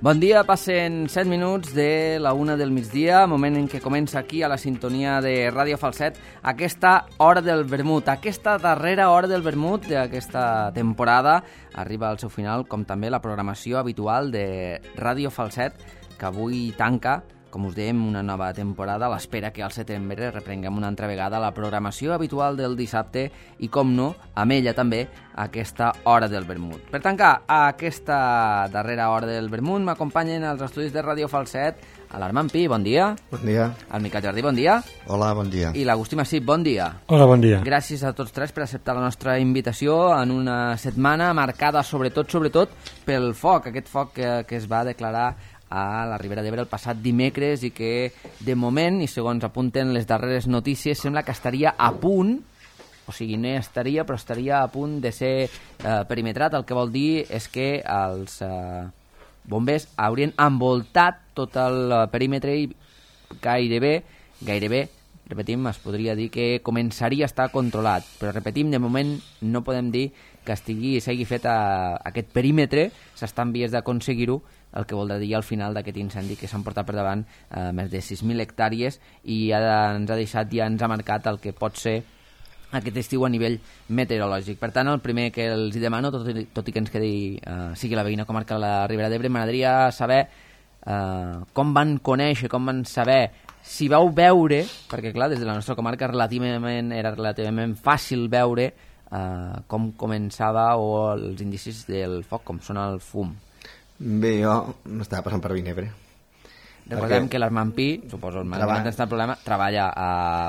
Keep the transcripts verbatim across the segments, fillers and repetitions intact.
Bon dia, passen set minuts de la una del migdia, moment en què comença aquí a la sintonia de Ràdio Falset aquesta hora del vermut. Aquesta darrera hora del vermut d'aquesta temporada arriba al seu final, com també la programació habitual de Ràdio Falset, que avui tanca, com us dèiem, una nova temporada a l'espera que al setembre reprenguem una altra vegada la programació habitual del dissabte i, com no, amb ella també aquesta hora del vermut. Per tancar aquesta darrera hora del vermut m'acompanyen als estudis de Ràdio Falset a l'Armand Pi, bon dia. Bon dia. Al Miquel Jardí, bon dia. Hola, bon dia. I l'Agustí Massip, bon dia. Hola, bon dia. Gràcies a tots tres per acceptar la nostra invitació en una setmana marcada sobretot, sobretot pel foc, aquest foc que, que es va declarar a la Ribera d'Ebre el passat dimecres i que, de moment, i segons apunten les darreres notícies, sembla que estaria a punt, o sigui, no estaria, però estaria a punt de ser eh, perimetrat. El que vol dir és que els eh, bombers haurien envoltat tot el perímetre i gairebé, gairebé, repetim, es podria dir que començaria a estar controlat. Però, repetim, de moment no podem dir que estigui s'hagi fet a, a aquest perímetre, s'està en vies d'aconseguir-ho, el que voldrà dir al final d'aquest incendi que s'han portat per davant eh, més de sis mil hectàrees i ja ens ha deixat, ja ens ha marcat el que pot ser aquest estiu a nivell meteorològic. Per tant, el primer que els demano, tot i, tot i que ens quedi eh, sigui la veïna comarca de la Ribera d'Ebre, m'agradaria saber eh, com van conèixer, com van saber, si vau veure, perquè clar, des de la nostra comarca relativament era relativament fàcil veure eh, com començava o els indicis del foc, com sona el fum. Bé, jo m'estava passant per Vinebre. Recordem perquè que l'Armand Pi, suposo, el treballa... el problema, treballa a,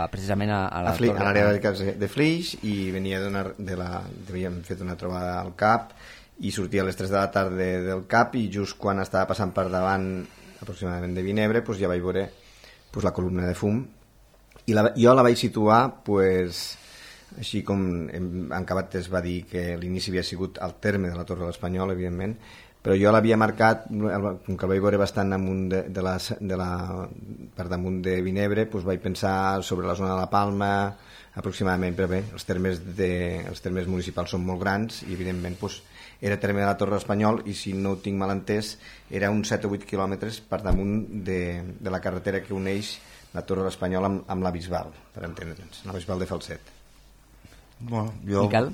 precisament a, a, a, a l'àrea de, de Flix i venia de la... havíem fet una trobada al C A P i sortia a les tres de la tarda del C A P i just quan estava passant per davant aproximadament de Vinebre pues, ja vaig veure pues, la columna de fum i la, jo la vaig situar pues, així com en, en Cabat es va dir que l'inici havia sigut al terme de la Torre de l'Espanyol, evidentment, però jo l'havia marcat, com que el vaig veure bastant amunt de, de la, de la, per damunt de Vinebre, doncs vaig pensar sobre la zona de la Palma, aproximadament, però bé, els termes, de, els termes municipals són molt grans i evidentment doncs, era terme de la Torre Espanyol i si no ho tinc mal entès era uns set o vuit quilòmetres per damunt de, de la carretera que uneix la Torre Espanyol amb, amb la Bisbal, per entendre'ns, la Bisbal de Falset. Bueno, jo Miquel?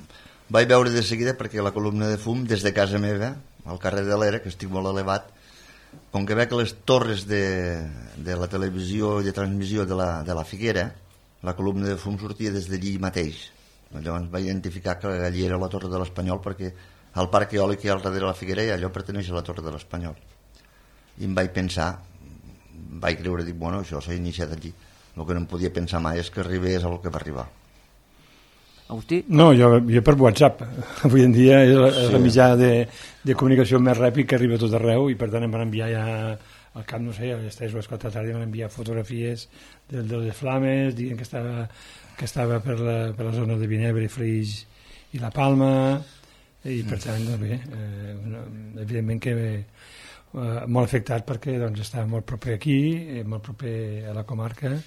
Vaig veure de seguida perquè la columna de fum des de casa meva al carrer de l'Era, que estic molt elevat, com que veig les torres de, de la televisió i de transmissió de la, de la Figuera, la columna de fum sortia des d'allí mateix. Llavors vaig identificar que allí era la Torre de l'Espanyol perquè el parc eòlic que hi ha al darrere de la Figuera i allò perteneix a la Torre de l'Espanyol. I em vaig pensar, vaig creure, dic, bueno, això s'ha iniciat allí. El que no em podia pensar mai és que arribés al que va arribar. Agustí? No, jo, jo per WhatsApp. Avui en dia és el sí. mitjà de, de comunicació més ràpid que arriba a tot arreu i per tant em van enviar ja al cap, no sé, a les tres o les quatre de la tarda em van enviar fotografies de, de les flames, dient que estava, que estava per, la, per la zona de Vinebre, Flix i la Palma i per tant, doncs bé, eh, evidentment que eh, molt afectat perquè doncs, estava molt proper aquí, eh, molt proper a la comarca.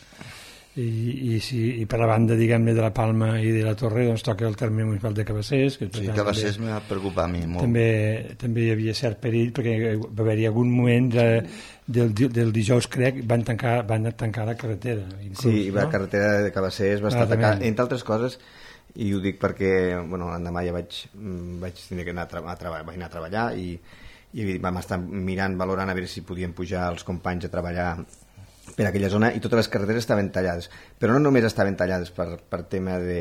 I, i, si, i per la banda diguem-ne de la Palma i de la Torre doncs toca el terme municipal de Cabassers que, sí, Cabassers m'ha preocupat a mi molt. També, també hi havia cert perill perquè va haver-hi algun moment de, del, del dijous crec van tancar, van tancar la carretera inclús, sí, la no? carretera de Cabassers va estar tancada, entre altres coses i ho dic perquè bueno, l'endemà ja vaig, vaig tenir que anar a, tra a, treba vaig anar a treballar i, i vam estar mirant, valorant a veure si podíem pujar els companys a treballar per aquella zona i totes les carreteres estaven tallades, però no només estaven tallades per, per tema de,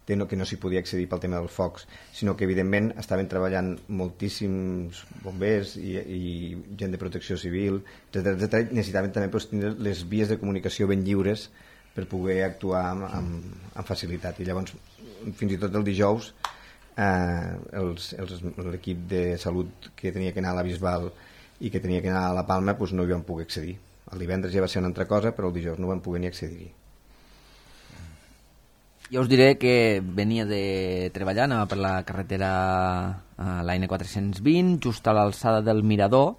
de no, que no s'hi podia accedir pel tema dels focs, sinó que evidentment estaven treballant moltíssims bombers i, i gent de protecció civil, etcètera, etcètera. Necessitaven també pues, tenir les vies de comunicació ben lliures per poder actuar amb, amb, amb facilitat i llavors fins i tot el dijous eh, l'equip de salut que tenia que anar a la Bisbal i que tenia que anar a la Palma pues, no hi van poder accedir. El divendres ja va ser una altra cosa, però el dijous no vam poder ni accedir-hi. Jo us diré que venia de treballar, anava per la carretera a la N quatre-cents vint, just a l'alçada del Mirador.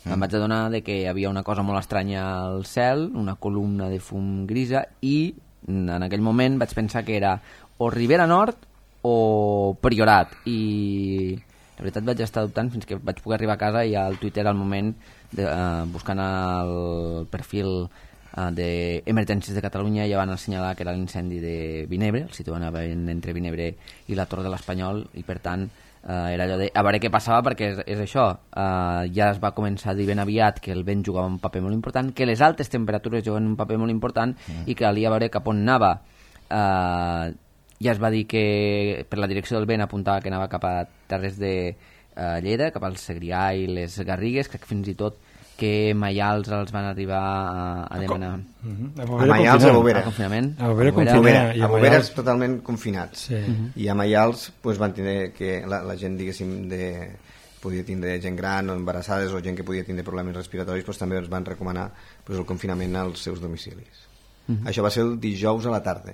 Mm. Em vaig adonar de que hi havia una cosa molt estranya al cel, una columna de fum grisa, i en aquell moment vaig pensar que era o Ribera Nord o Priorat. I La veritat vaig estar dubtant fins que vaig poder arribar a casa i al Twitter al moment, de, uh, buscant el perfil uh, d'Emergències de Catalunya, ja van assenyalar que era l'incendi de Vinebre, el situaven entre Vinebre i la Torre de l'Espanyol, i per tant uh, era allò de a veure què passava, perquè és, és això, uh, ja es va començar a dir ben aviat que el vent jugava un paper molt important, que les altes temperatures juguen un paper molt important mm. i que calia veure cap on anava. Uh, ja es va dir que per la direcció del vent apuntava que anava cap a terres de uh, Lleida, cap al Segrià i les Garrigues, crec que fins i tot que Maials els van arribar a, a demanar uh -huh. a, a Maials a Bovera, a confinament, a Bovera, a Bovera, Bovera, a Bovera és totalment confinats, sí. uh -huh. i a Maials pues, van tenir que la, la gent diguéssim de podia tindre gent gran o embarassades o gent que podia tindre problemes respiratoris, pues, també ens van recomanar pues, el confinament als seus domicilis. Uh -huh. Això va ser el dijous a la tarda.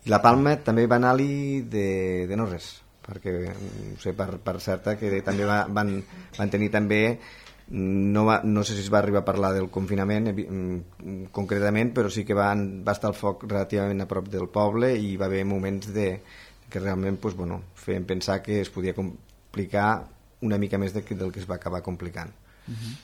I la Palma també va anar-li de, de no res, perquè no sé per, per certa que també va, van, van tenir també no, va, no sé si es va arribar a parlar del confinament concretament, però sí que van, va estar el foc relativament a prop del poble i va haver moments de, que realment pues, bueno, feien pensar que es podia complicar una mica més de, del que es va acabar complicant. Uh-huh.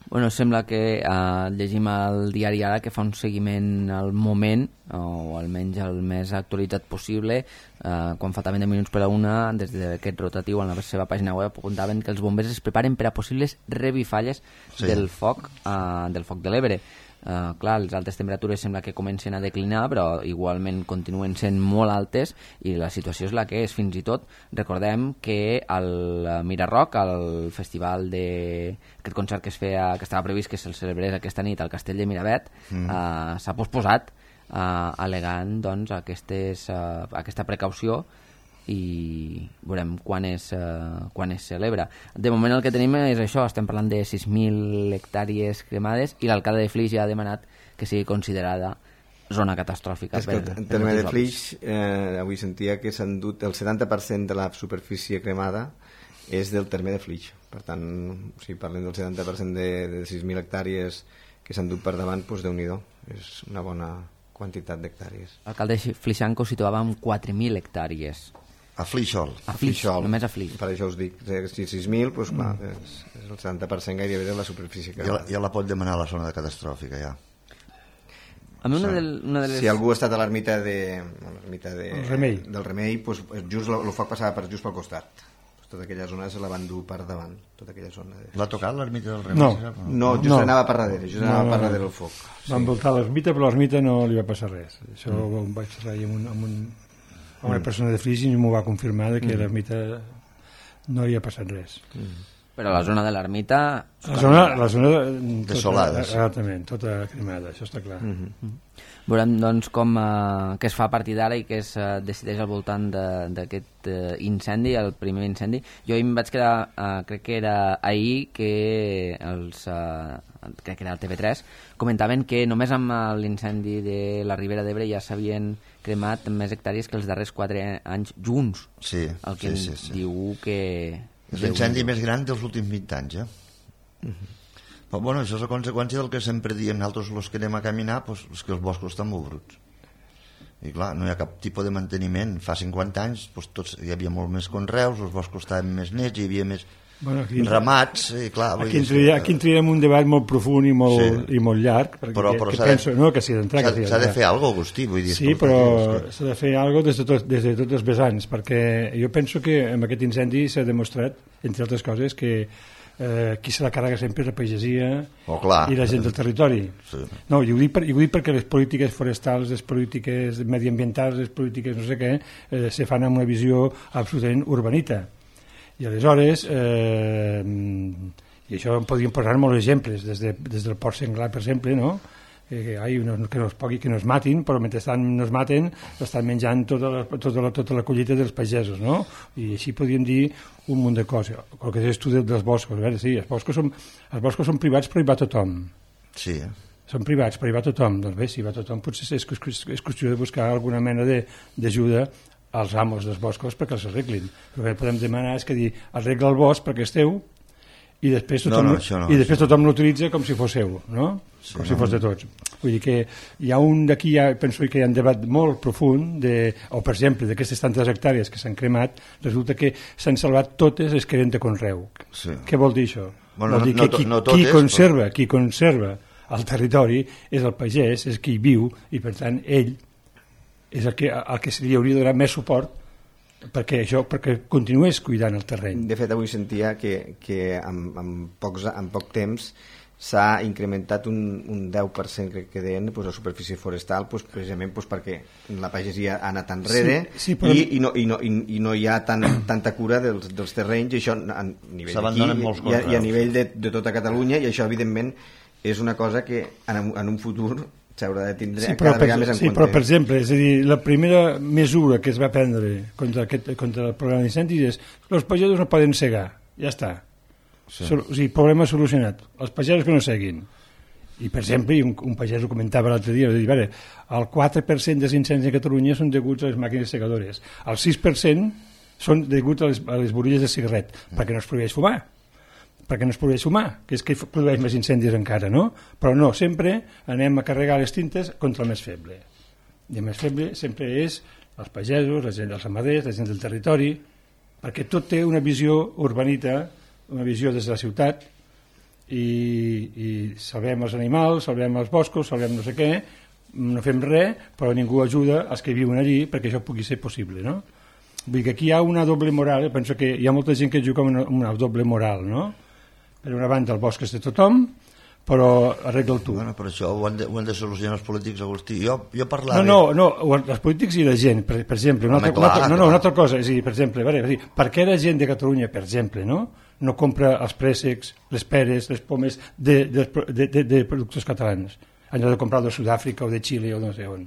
Bueno, sembla que eh, llegim al diari Ara que fa un seguiment al moment, o almenys el més actualitzat possible, eh, quan faltaven deu minuts per a una, des d'aquest rotatiu en la seva pàgina web apuntaven que els bombers es preparen per a possibles revifalles sí. del foc eh, del foc de l'Ebre. Uh, clar, les altes temperatures sembla que comencen a declinar, però igualment continuen sent molt altes i la situació és la que és. Fins i tot recordem que al Miraroc, al festival de aquest concert que es feia, que estava previst que se'l celebrés aquesta nit al Castell de Miravet, mm. uh, s'ha posposat uh, alegant doncs, aquestes, uh, aquesta precaució, i veurem quan es, uh, quan es celebra. De moment el que tenim és això, estem parlant de sis mil hectàrees cremades i l'alcalde de Flix ja ha demanat que sigui considerada zona catastròfica. És que per, en terme de Flix, eh, avui sentia que s'han dut el setanta per cent de la superfície cremada és del terme de Flix. Per tant, si parlem del setanta per cent de, de sis mil hectàrees que s'han dut per davant, doncs Déu-n'hi-do, és una bona quantitat d'hectàrees. L'alcalde Flixanco situava amb quatre mil hectàrees. A Flixol. A Flix, només a Flix. Per això us dic, si sis mil, doncs clar, és, és el setanta per cent gairebé de la superfície que... Ja, ja la pot demanar a la zona de catastròfica, ja. A mi una, de, una de les... Si algú ha estat a l'ermita de, l'ermita de, Remei. del Remei, doncs just el foc passava per just pel costat. Tota aquella zona se la van dur per davant, tota aquella zona. De... L'ha tocat l'ermita del Remei? No, no just no. anava per darrere, just no, anava per darrere el foc. Va sí. envoltar l'ermita, però l'ermita no li va passar res. Això mm. ho vaig parlar amb un... Amb un una mm. persona de Flix i m'ho va confirmar de que mm. l'ermita no hi ha passat res. Mm. Però la zona de l'ermita... La zona, la zona desolada. Exactament, tota cremada, això està clar. Mm-hmm. Veurem doncs com uh, què es fa a partir d'ara i què es uh, decideix al voltant d'aquest uh, incendi, el primer incendi. Jo em vaig quedar, uh, crec que era ahir, que els... Uh, crec que era el T V tres, comentaven que només amb l'incendi de la Ribera d'Ebre ja s'havien cremat més hectàrees que els darrers quatre anys junts. Sí, el que sí, sí, sí. diu que... És l'incendi més gran dels últims vint anys, eh? Uh-huh. Però, bueno, això és a conseqüència del que sempre diem nosaltres els que anem a caminar, doncs, és que els boscos estan molt bruts. I clar, no hi ha cap tipus de manteniment. Fa cinquanta anys doncs, tots, hi havia molt més conreus, els boscos estaven més nets, hi havia més... Bueno, aquí, ramats, i clar... Aquí, entria, aquí entraríem un debat molt profund i molt, sí. i molt llarg, perquè però, però que, que penso, no, que s'hi d'entrar... S'ha de fer alguna cosa, Agustí, vull dir... Sí, però s'ha de fer alguna cosa des de, tot, des de tots els vessants, perquè jo penso que amb aquest incendi s'ha demostrat, entre altres coses, que eh, qui se la carrega sempre és la pagesia oh, clar. I la gent del territori. Sí. No, i ho, dic per, i ho dic perquè les polítiques forestals, les polítiques mediambientals, les polítiques no sé què, eh, se fan amb una visió absolutament urbanita. I aleshores, eh, i això en podríem posar molts exemples, des, de, des del Port Senglar, per exemple, no? Eh, ai, no, que no es pogui, que no es matin, però mentre no es maten estan menjant tota la, tota, la, tota la collita dels pagesos, no? I així podríem dir un munt de coses. El que és tu dels boscos, a veure, sí, els boscos són, els boscos són privats, però hi va tothom. Sí. Són privats, però hi va tothom. Doncs bé, si hi va tothom, potser és, és qüestió de buscar alguna mena d'ajuda als amos dels boscos perquè els arreglin. El que podem demanar és que dir, arregla el bosc perquè és teu i després tothom, no, no, no, i després tothom l'utilitza com si fos seu, no? Sí, com si fos de tots. Vull dir que hi ha un d'aquí, ja, penso que hi ha un debat molt profund, de, o per exemple, d'aquestes tantes hectàrees que s'han cremat, resulta que s'han salvat totes les que eren de conreu. Sí. Què vol dir això? Bueno, vol dir no, que qui, no, no totes, qui conserva, però... qui conserva el territori és el pagès, és qui hi viu, i per tant ell és el que, el que se li hauria de donar més suport perquè això, perquè continués cuidant el terreny. De fet, avui sentia que, que en, en, pocs, en poc temps s'ha incrementat un, un deu per cent, crec que deien, pues, la superfície forestal, pues, precisament pues, perquè la pagesia ha anat enrere, sí, sí, però... i, i, no, i, no, i, i no hi ha tan, tanta cura dels, dels terrenys, i això a nivell d'aquí i, i a nivell de, de tota Catalunya, i això evidentment és una cosa que en, en un futur s'haurà de tindre sí, cada vegada més en sí, compte. Sí, però per exemple, és a dir, la primera mesura que es va prendre contra, aquest, contra el programa d'incendis és que els pagesos no poden segar, ja està. Sí. Sol, o sigui, problema solucionat. Els pagesos que no seguin. I per exemple, un, un pagès ho comentava l'altre dia, dir, veure, el quatre per cent dels incendis a Catalunya són deguts a les màquines segadores. El sis per cent són deguts a les, a les borilles de cigarret, mm. perquè no es prohibeix fumar. perquè no es podria sumar, que és que produeix més incendis encara, no? Però no, sempre anem a carregar les tintes contra el més feble. I el més feble sempre és els pagesos, la gent dels ramaders, la gent del territori, perquè tot té una visió urbanita, una visió des de la ciutat, i, i salvem els animals, salvem els boscos, salvem no sé què, no fem res, però ningú ajuda als que viuen allí perquè això pugui ser possible, no? Vull dir que aquí hi ha una doble moral, penso que hi ha molta gent que juga amb una, una doble moral, no? Per una banda el bosc és de tothom, però arregla'l tu. Bueno, però això ho han de, ho han de solucionar els polítics, Agustí. Jo, jo parlava... No, no, no, els polítics i la gent, per, per exemple. Una altra, clar, una altra, no, no, una altra cosa, és a dir, per exemple, veure, dir, per què la gent de Catalunya, per exemple, no, no compra els préssecs, les peres, les pomes de, de, de, de, de productors catalans, en lloc de comprar de Sud-àfrica o de Xile o no sé on?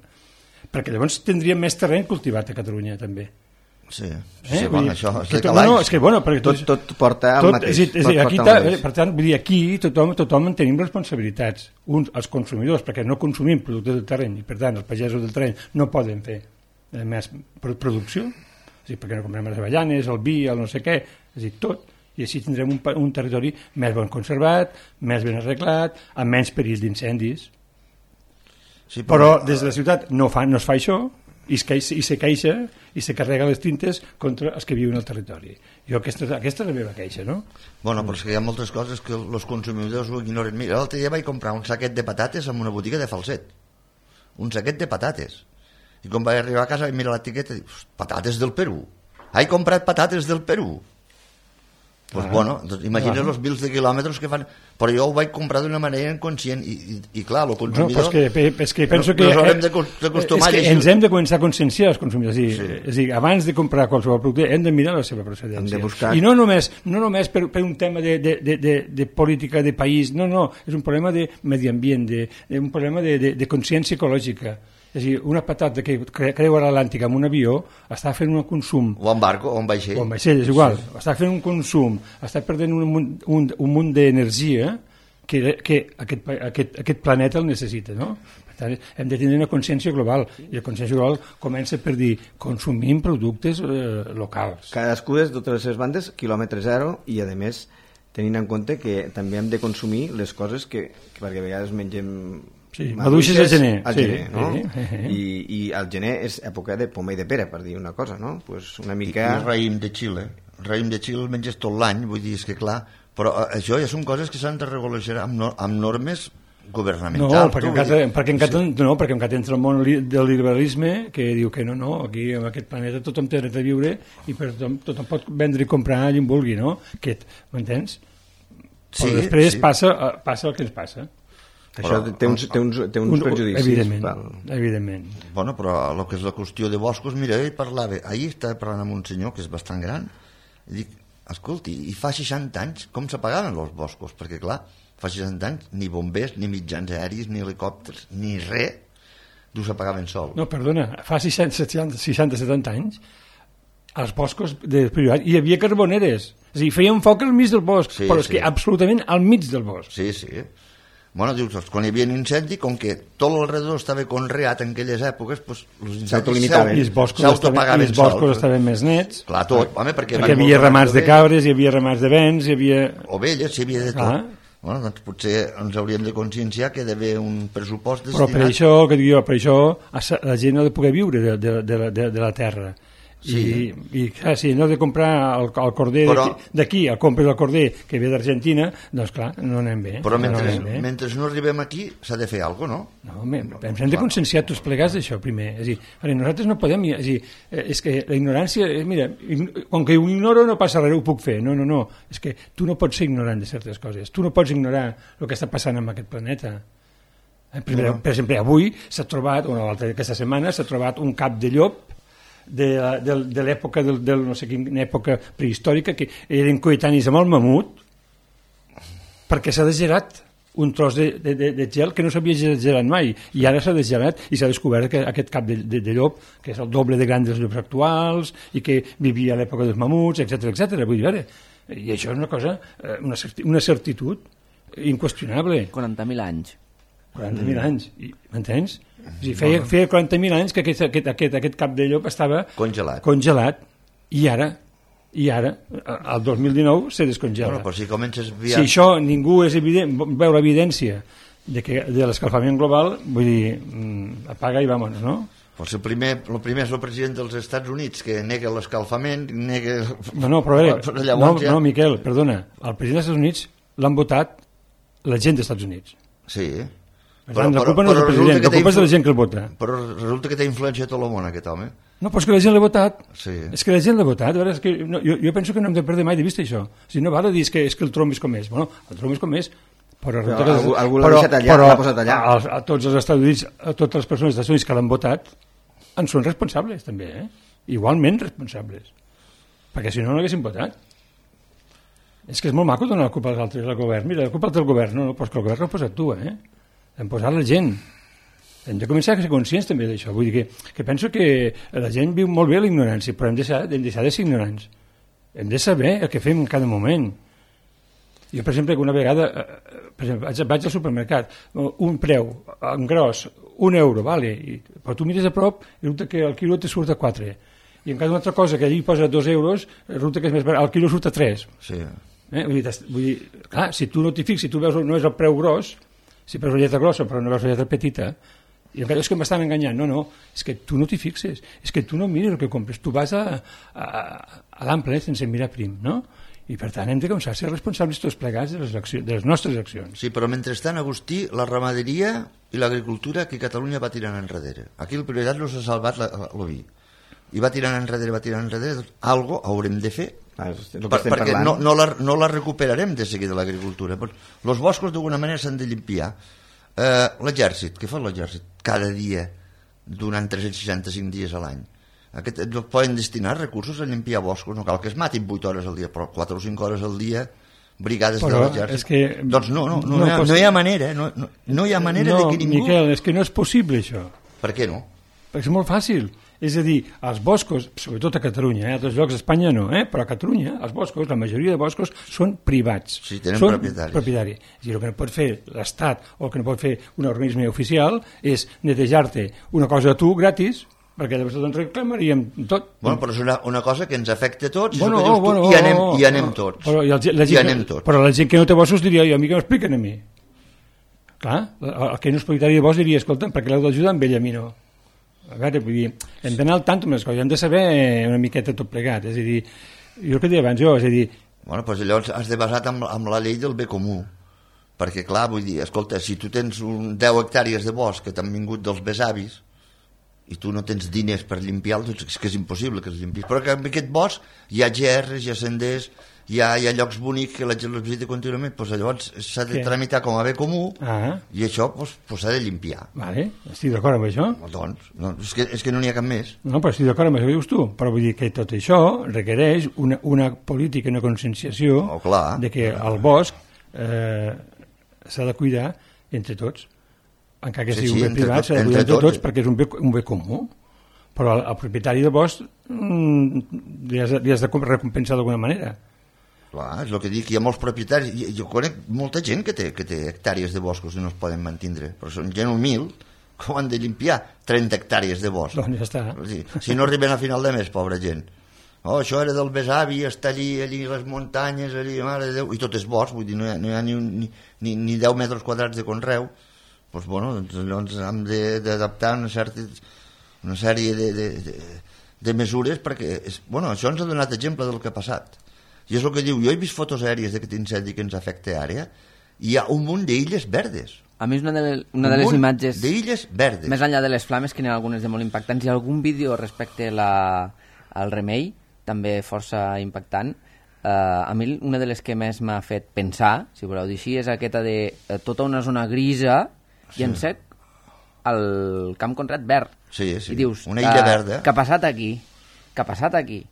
Perquè llavors tindríem més terreny cultivat a Catalunya, també. Sí, sí, eh? bueno, això és tot, no, és que, bueno, perquè tot, tot porta al mateix. És, és, aquí ta, per tant, vull dir, aquí tothom, tothom en tenim responsabilitats. Uns, els consumidors, perquè no consumim productes del terreny, i per tant els pagesos del terreny no poden fer eh, més producció, és dir, perquè no comprem les avellanes, el vi, el no sé què, és dir, tot. I així tindrem un, un territori més ben conservat, més ben arreglat, amb menys perill d'incendis. Sí, però... però des de la ciutat no, fa, no es fa això, i se queixa, i se queixa i se carrega les tintes contra els que viuen al territori. Jo aquesta, aquesta és la meva queixa, no? Bueno, però és que hi ha moltes coses que els consumidors ho ignoren. Mira, l'altre dia vaig comprar un saquet de patates en una botiga de Falset. Un saquet de patates. I quan vaig arribar a casa vaig mirar l'etiqueta i dic, patates del Perú. He comprat patates del Perú. Pues ah, bueno, doncs imagina't els mils de quilòmetres que fan, però jo ho vaig comprar d'una manera inconscient i, i, i clar, el consumidor... No, és que, és que penso que... Ens haurem d'acostumar és que ens hem de començar a conscienciar els consumidors, és a dir, sí. és a dir, abans de comprar qualsevol producte hem de mirar la seva procedència. Buscar... I no només, no només per, per un tema de, de, de, de, de política de país, no, no, és un problema de medi ambient, de, de un problema de, de, de consciència ecològica. És a dir, una patata que creua l'Atlàntic amb un avió està fent un consum... O en barco, o en vaixell. O en vaixell, és igual. Sí. Està fent un consum, està perdent un munt, un, un munt d'energia que, que aquest, aquest, aquest planeta el necessita, no? Per tant, hem de tenir una consciència global, i la consciència global comença per dir consumim productes eh, locals. Cadascú de totes les seves bandes, quilòmetre zero, i a més tenint en compte que també hem de consumir les coses que, que perquè a vegades mengem... Sí, maduixes al gener. Al sí, gener, no? Sí, sí, sí. I, I al gener és època de poma i de pera, per dir una cosa, no? Pues una mica... I el raïm de Xile. El raïm de Xile el menges tot l'any, vull dir, és que clar... Però això ja són coses que s'han de regular amb, no, amb normes governamentals. No, perquè encara, perquè encara, sí. no, perquè encara entra el món del liberalisme que diu que no, no, aquí en aquest planeta tothom té dret a viure i per tothom, tothom pot vendre i comprar allà on vulgui, no? Que, m'entens? Sí, però després sí. passa, passa el que ens passa. Això però, té uns, té uns, té uns un, prejudicis. Evidentment, val. evidentment. Bueno, però el que és la qüestió de boscos, mira, ell parlava, ahir estava parlant amb un senyor que és bastant gran, i dic, escolti, i fa seixanta anys com s'apagaven els boscos? Perquè clar, fa seixanta anys ni bombers, ni mitjans aèris, ni helicòpters, ni res, no s'apagaven sol. No, perdona, fa seixanta, setanta anys, als boscos de privat hi havia carboneres, és a dir, feien foc al mig del bosc, sí, però és sí. que absolutament al mig del bosc. Sí, sí. Bueno, dius, doncs, quan hi havia un incendi, com que tot l'alrededor estava conreat en aquelles èpoques, doncs, els incendis s'autolimitaven. I els boscos, estaven, i els boscos estaven més nets. Clar, tot, home, perquè... Perquè hi havia ramats de cabres, hi havia ramats de vents, hi havia... Ovelles, hi havia de tot. Clar. Bueno, doncs potser ens hauríem de conscienciar que hi ha d'haver un pressupost destinat... Però per això, que dic jo, per això la gent no ha de poder viure de, de, de, de, de la terra. Sí. I, i clar, si no has de comprar el, el corder però, d'aquí, el compres el corder que ve d'Argentina, doncs clar, no anem bé. Però mentre no, no, bé. mentre no arribem aquí s'ha de fer alguna cosa, no? No, me, no ens hem de conscienciar tots plegats d'això primer. És a dir, nosaltres no podem... És, dir, és que la ignorància... Mira, com que ho ignoro no passa res, ho puc fer. No, no, no. És que tu no pots ser ignorant de certes coses. Tu no pots ignorar el que està passant en aquest planeta. Per, no. per exemple, avui s'ha trobat, o aquesta setmana, s'ha trobat un cap de llop de, de, de l'època del, del no sé quina època prehistòrica que eren coetanis amb el mamut perquè s'ha desgelat un tros de, de, de, de gel que no s'havia desgelat mai i ara s'ha desgelat i s'ha descobert que aquest cap de, de, de llop que és el doble de gran dels llops actuals i que vivia a l'època dels mamuts, etcètera etcètera. Vull dir, ara, i això és una cosa, una, una certitud inqüestionable. quaranta mil anys. quaranta mil anys, m'entens? O sigui, feia, feia quaranta mil anys que aquest, aquest, aquest, aquest cap de llop estava congelat, congelat i ara, i ara al dos mil dinou se descongela. Bueno, però si comences via... Si això ningú és evident, veu l'evidència de, que, de l'escalfament global, vull dir, apaga i vámonos, no? Pues el, primer, el primer és el president dels Estats Units que nega l'escalfament, nega... No, no, però, bé, però no, ja... no, Miquel, perdona, el president dels Estats Units l'han votat la gent dels Estats Units. Sí, però, la culpa no és del president, la culpa és de la gent que el vota. Però resulta que té influència a tot el món, aquest home. No, però és que la gent l'ha votat. Sí. És que la gent l'ha votat. Veure, és que no, jo, jo penso que no hem de perdre mai de vista això. Si no val a dir que, és que el Trump és com és. Bueno, el Trump és com és, però... però que, algú, algú l'ha deixat allà, l'ha posat allà. A, a, tots els Estats Units, a totes les persones dels Estats Units que l'han votat, en són responsables, també, eh? Igualment responsables. Perquè si no, no l'haguessin votat. És que és molt maco donar la culpa als altres, al govern. Mira, la culpa és del govern. No, no, però que el govern l'ha posat tu, eh? L'hem posat la gent. Hem de començar a ser conscients també d'això. Vull dir que, que penso que la gent viu molt bé l'ignorància, però hem de, deixar, hem de deixar de ser ignorants. Hem de saber el que fem en cada moment. Jo, per exemple, una vegada per exemple, vaig, vaig al supermercat, un preu, en gros, un euro, vale, i, però tu mires a prop i resulta que el quilo te surt a quatre. I en cada una altra cosa que allí posa dos euros, resulta que és més barat, el quilo surt a tres. Sí. Eh? Vull dir, vull dir, clar, si tu no t'hi fixes, si tu veus no és el preu gros, si veus la lletra grossa però no veus la lletra petita, i encara és que m'estan enganyant. No, no, és que tu no t'hi fixes, és que tu no mires el que compres, tu vas a, a, a l'ample sense mirar prim, no? I per tant hem de començar a ser responsables tots plegats de les, accions, de les nostres accions. Sí, però mentrestant, Agustí, la ramaderia i l'agricultura que Catalunya va tirant enrere. Aquí el prioritat no s'ha salvat l'oví. I va tirant enrere, va tirant enrere, doncs algo haurem de fer. Ah, per, perquè no, no, la, no la recuperarem de seguida l'agricultura. Els boscos d'alguna manera s'han de limpiar. Eh, l'exèrcit, què fa l'exèrcit? Cada dia, durant tres-cents seixanta-cinc dies a l'any. Aquest, no poden destinar recursos a limpiar boscos, no cal que es matin vuit hores al dia, però quatre o cinc hores al dia, brigades però de l'exèrcit. Que... Doncs no, no, no, no, hi ha, no hi ha manera, no, no, no hi ha manera no, de que ningú... No, Miquel, és que no és possible això. Per què no? Perquè és molt fàcil. És a dir, els boscos, sobretot a Catalunya, eh, a altres llocs d'Espanya no, eh, però a Catalunya els boscos, la majoria de boscos són privats. Sí, tenen són propietaris. propietaris. És a dir, el que no pot fer l'Estat o el que no pot fer un organisme oficial és netejar-te una cosa a tu gratis, perquè llavors doncs reclamaríem tot. Bueno, però és una, una cosa que ens afecta a tots, bueno, és el que dius bueno, tu, i anem, oh, i anem tots. Però, i el, la gent, I anem tots. Però la gent que no té boscos diria, i a mi que m'expliquen a mi. Clar, el que no és propietari de bosc diria, escolta, perquè l'heu d'ajudar amb ell, a mi no. A veure, vull dir, hem d'anar al tant amb les coses, hem de saber una miqueta tot plegat, és a dir, jo el que deia abans jo, és a dir... Bueno, doncs llavors has de basar amb, amb la llei del bé comú, perquè clar, vull dir, escolta, si tu tens un deu hectàrees de bosc que t'han vingut dels besavis i tu no tens diners per limpiar-los, doncs és que és impossible que els limpis, però que en aquest bosc hi ha gerres, hi ha senders, hi ha, hi ha llocs bonics que la gent els visita contínuament, doncs llavors s'ha de tramitar com a bé comú ah. i això doncs, doncs s'ha de limpiar. Vale, estic d'acord amb això. Doncs, no, és, que, és que no n'hi ha cap més. No, però estic d'acord amb això que dius tu, però vull dir que tot això requereix una, una política, una conscienciació oh, clar. de que el bosc eh, s'ha de cuidar entre tots, encara que sigui sí, sí, un bé privat, s'ha de cuidar entre tots, tots perquè és un bé, un bé comú. Però el, el propietari del bosc mm, li, has, li has de recompensar d'alguna manera. Clar, és el que dic, hi ha molts propietaris, jo conec molta gent que té, que té hectàrees de boscos i no es poden mantindre, però són gent humil que ho han de limpiar, trenta hectàrees de bosc. Doncs ja està. Si, si no arriben a final de mes, pobra gent. Oh, això era del besavi, està allí, allí les muntanyes, allí, mare de Déu, i tot és bosc, vull dir, no hi ha, no hi ha ni, un, ni, ni, ni deu metres quadrats de conreu. Doncs, bueno, doncs, doncs hem d'adaptar una, certa, una sèrie de, de, de, de mesures perquè, és, bueno, això ens ha donat exemple del que ha passat. I és el que diu, jo he vist fotos aèries d'aquest incendi que ens afecta àrea, i hi ha un munt d'illes verdes. A mi és una de, les, una de les imatges... d'illes verdes. Més enllà de les flames, que n'hi ha algunes de molt impactants. Hi ha algun vídeo respecte la, al Remei, també força impactant. Uh, a mi una de les que més m'ha fet pensar, si voleu dir així, és aquesta de uh, tota una zona grisa sí. i en sec el camp conreat verd. Sí, sí. I dius, una illa uh, verda. Què ha passat aquí? Què ha passat aquí?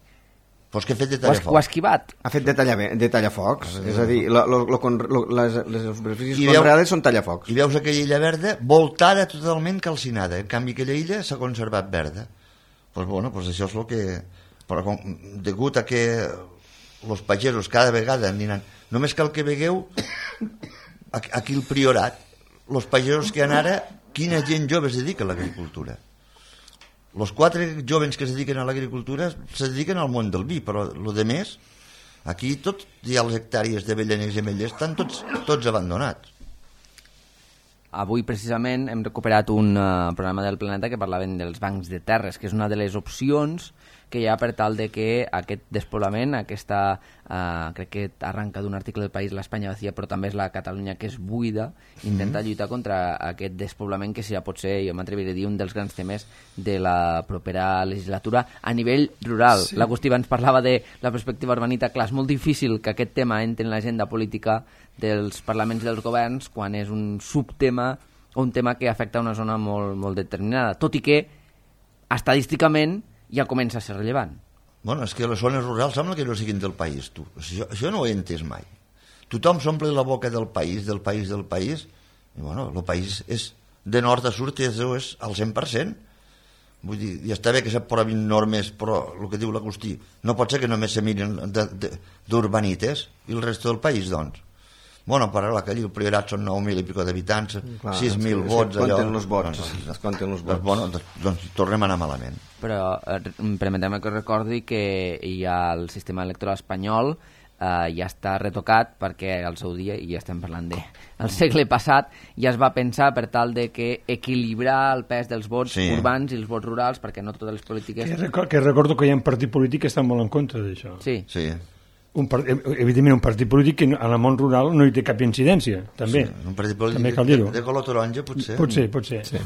Pues que ha fet de tallafocs. Ho ha esquivat. Ha fet de, talla, de tallafocs. Ah, és a dir, lo, lo, lo, lo, les, les superfícies I conreades són tallafocs. I veus aquella illa verda voltada totalment calcinada. En canvi, aquella illa s'ha conservat verda. Pues bueno, pues això és el que... Però com, degut a que els pagesos cada vegada aniran... Només cal que vegueu aquí el Priorat, els pagesos que han ara, quina gent jove es dedica a l'agricultura. Els quatre jovens que es dediquen a l'agricultura se dediquen al món del vi, però el de més, aquí tot hi ha les hectàrees de avellanes i ametllers, estan tots, tots abandonats. Avui, precisament, hem recuperat un uh, programa del Planeta que parlaven dels bancs de terres, que és una de les opcions que hi ha per tal de que aquest despoblament, aquesta, uh, crec que arranca d'un article del País, l'Espanya vacía, però també és la Catalunya que és buida, intenta mm-hmm. lluitar contra aquest despoblament que ja pot ser, jo m'atreviré a dir, un dels grans temes de la propera legislatura a nivell rural. Sí. L'Agustí ens parlava de la perspectiva urbanita. Clar, és molt difícil que aquest tema entri en l'agenda política dels parlaments dels governs quan és un subtema o un tema que afecta una zona molt, molt determinada, tot i que estadísticament ja comença a ser rellevant. Bueno, és que les zones rurals sembla que no siguin del país, tu. Això, això no ho he entès mai. Tothom s'omple la boca del país, del país, del país, i bueno, el país és de nord a sud, és, és al cent per cent. Vull dir, ja està bé que s'aprovin normes, però el que diu l'Agustí, no pot ser que només se miren d'urbanites i el resto del país, doncs. Bueno, per ara, que allí el Priorat són nou mil i pico d'habitants, sis mil vots, allò... Compten els vots, doncs, es compten els vots. Doncs, bueno, doncs, doncs tornem a anar malament. Però eh, permetem que recordi que hi ha el sistema electoral espanyol eh, ja està retocat perquè al seu dia, i ja estem parlant de el segle passat, ja es va pensar per tal de que equilibrar el pes dels vots sí. urbans i els vots rurals, perquè no totes les polítiques... Que, record, que recordo que hi ha un partit polític que està molt en contra d'això. Sí. Sí. Un part, evidentment un partit polític que en el món rural no hi té cap incidència, també. Sí, un partit polític també cal dir-ho. De, de color taronja, potser. Potser, potser. Sí.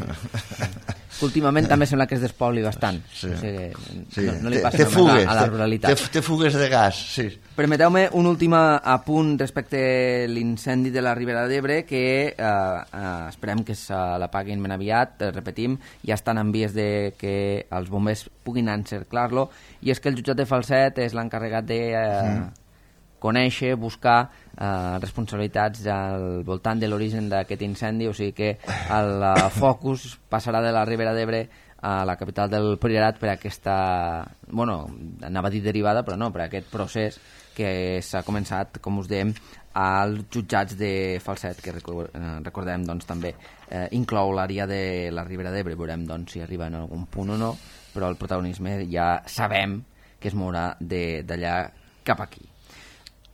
Últimament també sembla que es despobli bastant. Sí. O sigui, sí. no, no li passa té fugues, a la ruralitat. Té, té fugues de gas, sí. Permeteu-me un últim apunt respecte a l'incendi de la Ribera d'Ebre, que eh, eh, esperem que se l'apaguin ben aviat, eh, repetim, ja estan en vies de que els bombers puguin encerclar-lo, i és que el jutjat de Falset és l'encarregat de eh, mm. conèixer, buscar eh, responsabilitats al voltant de l'origen d'aquest incendi, o sigui que el uh, focus passarà de la Ribera d'Ebre a la capital del Priorat per aquesta, bueno, anava a dir derivada, però no, per aquest procés que s'ha començat, com us dèiem, als jutjats de Falset, que recordem doncs, també eh, inclou l'àrea de la Ribera d'Ebre. Veurem doncs, si arriba en algun punt o no, però el protagonisme ja sabem que es mourà d'allà cap aquí.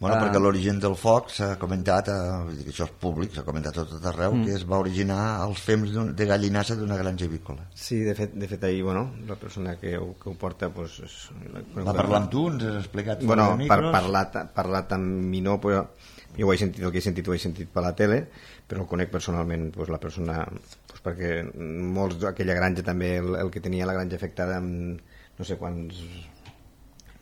Bueno, Uh, perquè l'origen del foc s'ha comentat, eh, això és públic, s'ha comentat a tot arreu, mm. que es va originar als fems de gallinassa d'una granja avícola. Sí, de fet, de fet ahir, bueno, la persona que ho, que ho porta... Pues, és, va parlar amb tu, ens has explicat... Bueno, per parlar, parlat amb mi no, però jo ho he sentit, el que he sentit ho he sentit per la tele, però el conec personalment, pues, la persona... Pues, perquè molts d'aquella granja també, el, el que tenia la granja afectada amb no sé quants...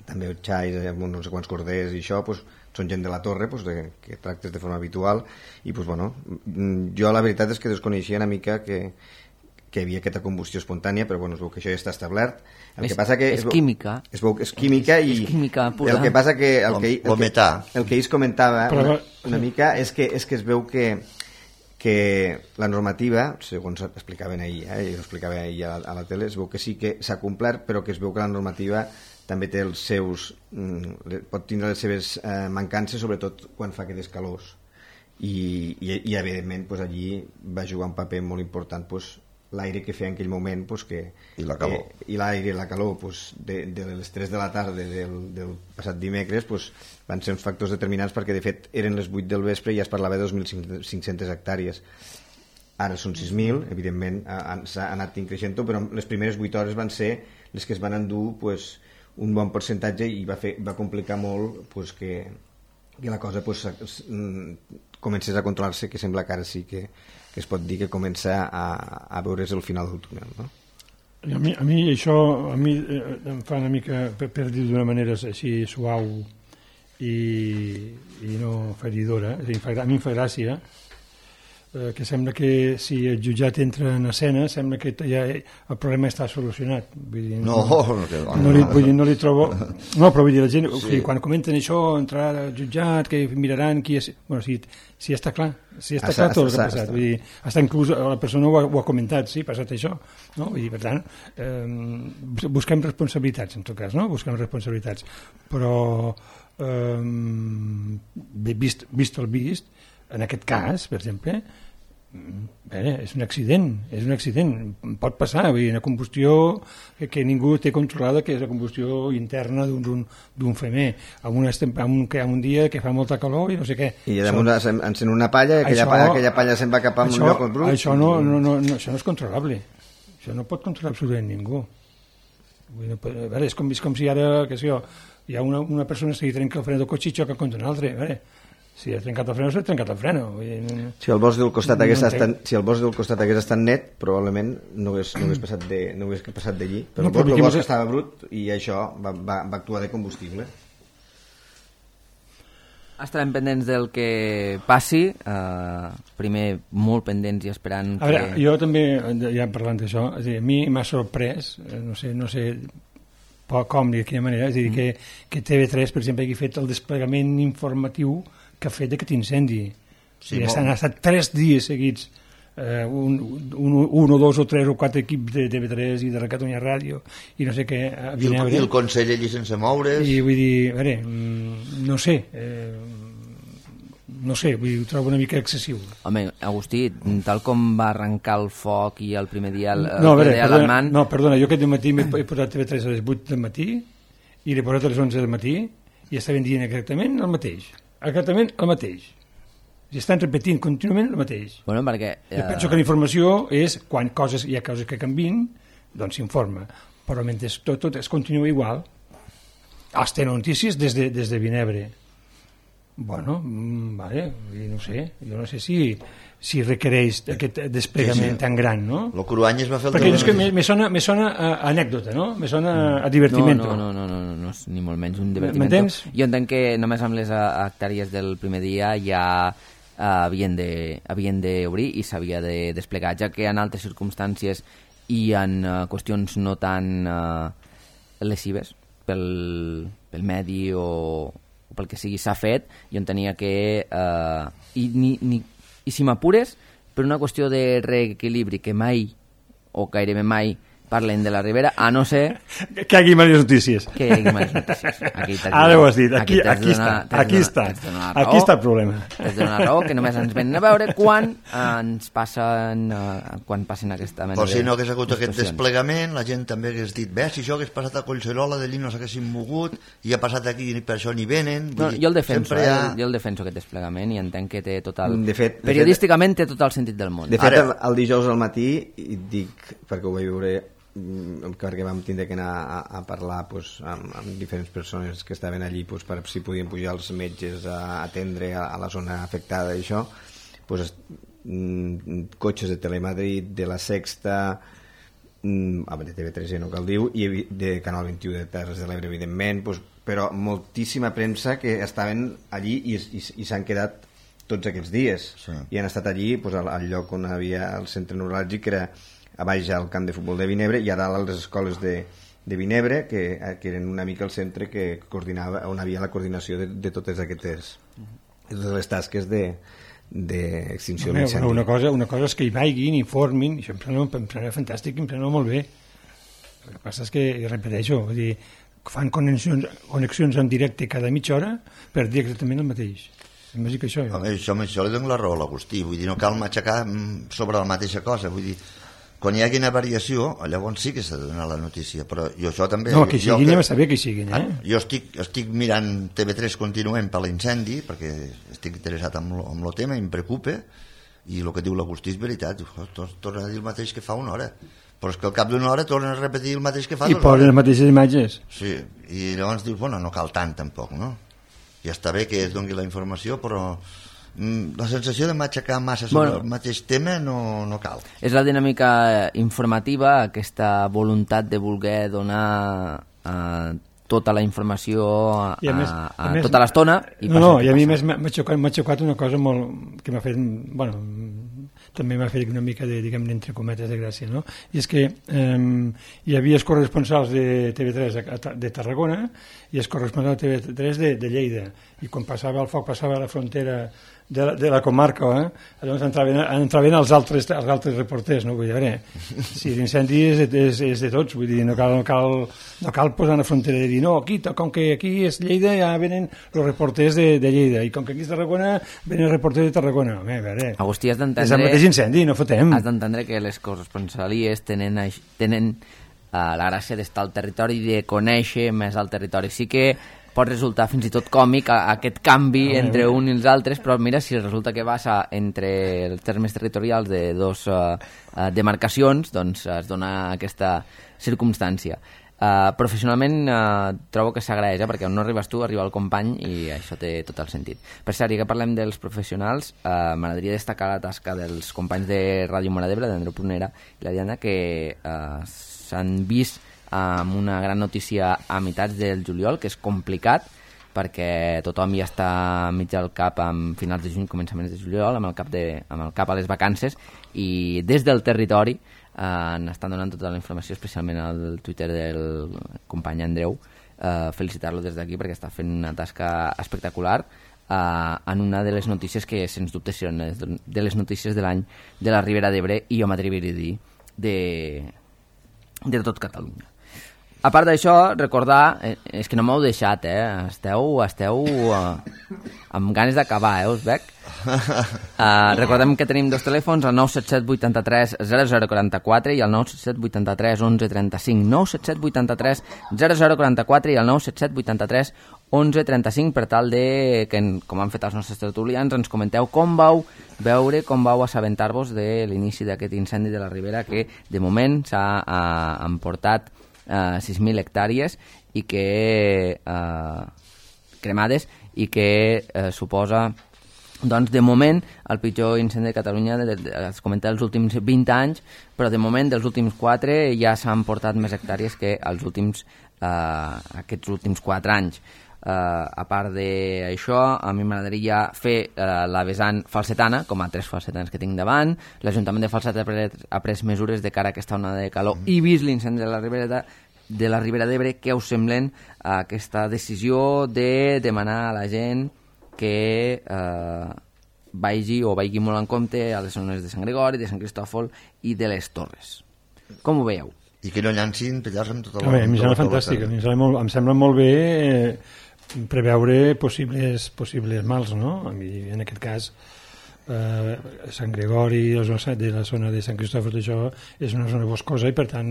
també xais, amb no sé quants corders i això, pues, són gent de la torre, pues, de, que tractes de forma habitual, i pues, bueno, jo la veritat és que desconeixia una mica que, que hi havia aquesta combustió espontània, però bueno, es veu que això ja està establert. El és, que passa que és es veu, química. Es veu que és química i és química pura. El que passa que el que, el el que, el que ells comentava però, una, una mica és que, és que es veu que que la normativa, segons explicaven ahir, eh, i ho explicava ahir a la, a la tele, es veu que sí que s'ha complert, però que es veu que la normativa també té els seus, pot tindre les seves eh, mancances, sobretot quan fa aquestes calors. I, i, i evidentment pues, allí va jugar un paper molt important pues, l'aire que feia en aquell moment pues, que, i la calor que, i l'aire i la calor pues, de, de les tres de la tarda del, del passat dimecres pues, van ser uns factors determinants perquè de fet eren les vuit del vespre i ja es parlava de dos mil cinc-centes hectàrees. Ara són sis mil, evidentment s'ha anat increixent, però les primeres vuit hores van ser les que es van endur pues, un bon percentatge i va, fer, va complicar molt pues, que, que la cosa pues, comencés a controlar-se, que sembla que ara sí que, que es pot dir que comença a, a veure's el final del túnel, no? A mi, a mi això a mi eh, em fa una mica, per, per dir d'una manera així suau i, i no feridora, és a dir, a mi em fa gràcia eh, que sembla que si el jutjat entra en escena sembla que ja el problema està solucionat. Vull dir, no, no, no, no, li, vull dir, no li trobo... No, però vull dir, la gent, sí. o sigui, quan comenten això, entrar al jutjat, que miraran qui és... Bueno, si, si està clar, si està clar tot el que ha passat. Vull dir, hasta inclús la persona ho ha, ho ha comentat, sí, ha passat això. No? Vull dir, per tant, eh, busquem responsabilitats, en tot cas, no? Busquem responsabilitats. Però, eh, vist, vist el vist, en aquest cas, per exemple, bé, és un accident, és un accident, pot passar, vull dir, una combustió que, que ningú té controlada, que és la combustió interna d'un femer, amb un, amb un, que un dia que fa molta calor i no sé què. I damunt això, encén una palla i aquella, això, palla, aquella palla se'n va cap a un lloc on brut. Això no, no, no, no, això no és controlable, això no pot controlar absolutament ningú. Vull dir, no, a veure, és com, és com si ara, que sé jo, hi ha una, una persona que trenca el fre del cotxe i xoca contra un altre, a veure, si ha trencat el freno, s'ha trencat el freno. Si el bosc del costat hagués no estat, si el bosc del costat hagués estat net, probablement no hagués, no hagués passat de, no hagués passat d'allí. Però, no, però el bosc estava brut i això va, va, va actuar de combustible. Estarem pendents del que passi, eh, primer molt pendents i esperant a veure, que... Jo també, ja parlant d'això, a mi m'ha sorprès, no sé, no sé com ni de quina manera, és a dir, mm. que, que T V tres, per exemple, hagi fet el desplegament informatiu que ha fet d'aquest incendi. Sí, I han estat tres dies seguits, eh, un, un, un o dos o tres o quatre equips de T V tres i de Catalunya Ràdio i no sé què. A Vinebre. I el Consell allí sense moure's. I vull dir, a veure, no sé, eh, no sé, vull dir, ho trobo una mica excessiu. Home, Agustí, tal com va arrencar el foc i el primer dia el, no, a veure, el perdona, no, perdona, jo aquest matí m'he posat T V tres a les vuit del matí i l'he posat a les onze del matí i estaven dient exactament el mateix. Exactament el mateix. I estan repetint contínuament el mateix. Bueno, perquè... Eh... Jo penso que la informació és, quan coses, hi ha coses que canvien, doncs s'informa. Però mentre tot, tot es continua igual, els té notícies des de, des de Vinebre. Bueno, vale, no sé, jo no sé si, si requereix aquest desplegament sí, sí. tan gran, no? Lo Cruanyes va fer el... Perquè és que me, me sona, me sona a anècdota, no? Me sona a divertiment. No, no, no, no, no, no és ni molt menys un divertiment. M'entens? Jo entenc que només amb les hectàrees del primer dia ja uh, havien de, havien d'obrir i s'havia de desplegar, ja que en altres circumstàncies i en uh, qüestions no tan uh, lesives pel, pel medi o pel que sigui s'ha fet, jo entenia que eh, i, ni, ni, i si m'apures per una qüestió de reequilibri que mai o gairebé mai parlen de la Ribera, a no ser... Que hi hagi males notícies. Que hi hagi males notícies. Aquí Ara ho has dit, aquí, aquí, aquí està, aquí està, aquí està el problema. T'has de donar raó, que només ens venen a veure quan ens passen, uh, quan passen aquesta mena de... Però si no hagués hagut aquest desplegament, la gent també hagués dit, bé, si això hagués passat a Collserola, d'allí no s'haguessin mogut, i ha passat aquí i per això ni venen... No, jo el defenso, eh, ha... jo el defenso aquest desplegament i entenc que té total... De fet, periodísticament té tot el sentit del món. De fet, el, el dijous al matí, i dic, perquè ho vaig veure... perquè vam tindre que anar a, a parlar pues, amb, amb diferents persones que estaven allí pues, per si podien pujar els metges a atendre a, a la zona afectada i això pues, mm, cotxes de Telemadrid, de la Sexta mm, de T V tres ja no cal dir i de Canal vint-i-u de Terres de l'Ebre evidentment, pues, però moltíssima premsa que estaven allí i, i, i s'han quedat tots aquests dies sí. I han estat allí pues, al, al lloc on havia el centre neuràlgic que era a baix al camp de futbol de Vinebre i a dalt a les escoles de, de Vinebre que, que eren una mica el centre que coordinava, on havia la coordinació de, de totes aquestes de totes les tasques de d'extinció de l'incendi. Una cosa, una cosa és que hi vagin, informin, i això em sembla, em sembla fantàstic, em sembla molt bé. El que passa és que, i repeteixo, vull dir, fan connexions, connexions en directe cada mitja hora per dir exactament el mateix. Em va dir que això... Home, això, això li dono la raó a l'Agustí, vull dir, no cal matxacar sobre la mateixa cosa, vull dir, quan hi hagi una variació, llavors sí que s'ha de donar la notícia, però jo això també... No, que siguin, ja va saber que siguin, eh? Jo estic, estic mirant T V tres continuem per l'incendi, perquè estic interessat en el tema, em preocupa, i el que diu l'Agustí és veritat, torna a dir el mateix que fa una hora, però és que al cap d'una hora tornen a repetir el mateix que fa dues hores. I posen les mateixes imatges. Sí, i llavors dius, bueno, no cal tant tampoc, no? Ja està bé que es doni la informació, però la sensació de matxacar massa sobre bueno, el mateix tema no, no cal. És la dinàmica informativa, aquesta voluntat de voler donar eh, tota la informació a, a, més, a, a, a més, tota l'estona. No, no, i a mi més m'ha xocat, xocat una cosa molt, que m'ha fet, bueno, també m'ha fet una mica de, diguem, entre cometes de gràcia, no? I és que eh, hi havia els corresponsals de T V tres de Tarragona i els corresponsals de T V tres de, de Lleida, i quan passava el foc, passava a la frontera de la, de la comarca, eh? Llavors entraven, entraven els, altres, els altres reporters, no? Vull dir, a veure, si l'incendi és, és, és de tots, vull dir, no cal, no cal, no cal posar una frontera de dir, no, aquí, com que aquí és Lleida, ja venen els reporters de, de Lleida, i com que aquí és Tarragona, venen els reporters de Tarragona. Home, a veure, Agustí, has d'entendre... És el mateix incendi, no fotem. Has d'entendre que les corresponsalies tenen, tenen uh, la gràcia d'estar al territori i de conèixer més el territori. Sí que pot resultar fins i tot còmic a, a aquest canvi ah, entre un i els altres, però mira, si resulta que vas a, entre els termes territorials de dos uh, uh, demarcacions, doncs es dona aquesta circumstància. Uh, professionalment uh, trobo que s'agraeix, eh, perquè on no arribes tu arriba el company i això té tot el sentit. Per cert, ja que parlem dels professionals, uh, m'agradaria destacar la tasca dels companys de Ràdio Móra d'Ebre, d'Andreu Prunera i la Diana, que uh, s'han vist amb una gran notícia a meitats del juliol, que és complicat perquè tothom ja està mig al cap amb finals de juny, començaments de juliol, amb el cap, de, amb el cap a les vacances, i des del territori eh, n'estan donant tota la informació, especialment al Twitter del company Andreu, eh, felicitar-lo des d'aquí perquè està fent una tasca espectacular eh, en una de les notícies que sens dubte seran de les notícies de l'any de la Ribera d'Ebre, i jo m'atreviria a dir de, de tot Catalunya. A part d'això, recordar, eh, és que no m'heu deixat, eh? Esteu, esteu eh, amb ganes d'acabar, eh? Us veig. Uh, recordem que tenim dos telèfons, el nou set set vuit tres zero zero quatre quatre i el nou set set vuit tres onze trenta cinc. nou set set vuit tres zero zero quatre quatre i el nou set set vuit tres onze trenta cinc, per tal de que, com han fet els nostres tertulians, ens comenteu com vau veure, com vau assabentar-vos de l'inici d'aquest incendi de la Ribera, que de moment s'ha uh, emportat Uh, sis mil hectàrees i que uh, cremades, i que uh, suposa, doncs, de moment el pitjor incendi de Catalunya, de, de, es comenta els últims vint anys, però de moment dels últims quatre ja s'han portat més hectàrees que els últims uh, aquests últims quatre anys. Uh, a part d'això, a mi m'agradaria fer uh, la vessant falsetana, com a tres falsetans que tinc davant. L'Ajuntament de Falset ha pres, ha pres mesures de cara a aquesta onada de calor mm. i vist l'incendi de la Ribera de, de la Ribera d'Ebre. Què us semblen uh, aquesta decisió de demanar a la gent que uh, vagi o vagi molt en compte a les zones de Sant Gregori, de Sant Cristòfol i de les Torres? Com ho veieu? I que no llancin pellars amb tota la... Home, a mi sembla fantàstic, a mi sembla molt, em sembla molt bé eh, preveure possibles, possibles mals, no? A mi, en aquest cas, eh, Sant Gregori, de la zona de Sant Cristòfol, això és una zona boscosa i, per tant,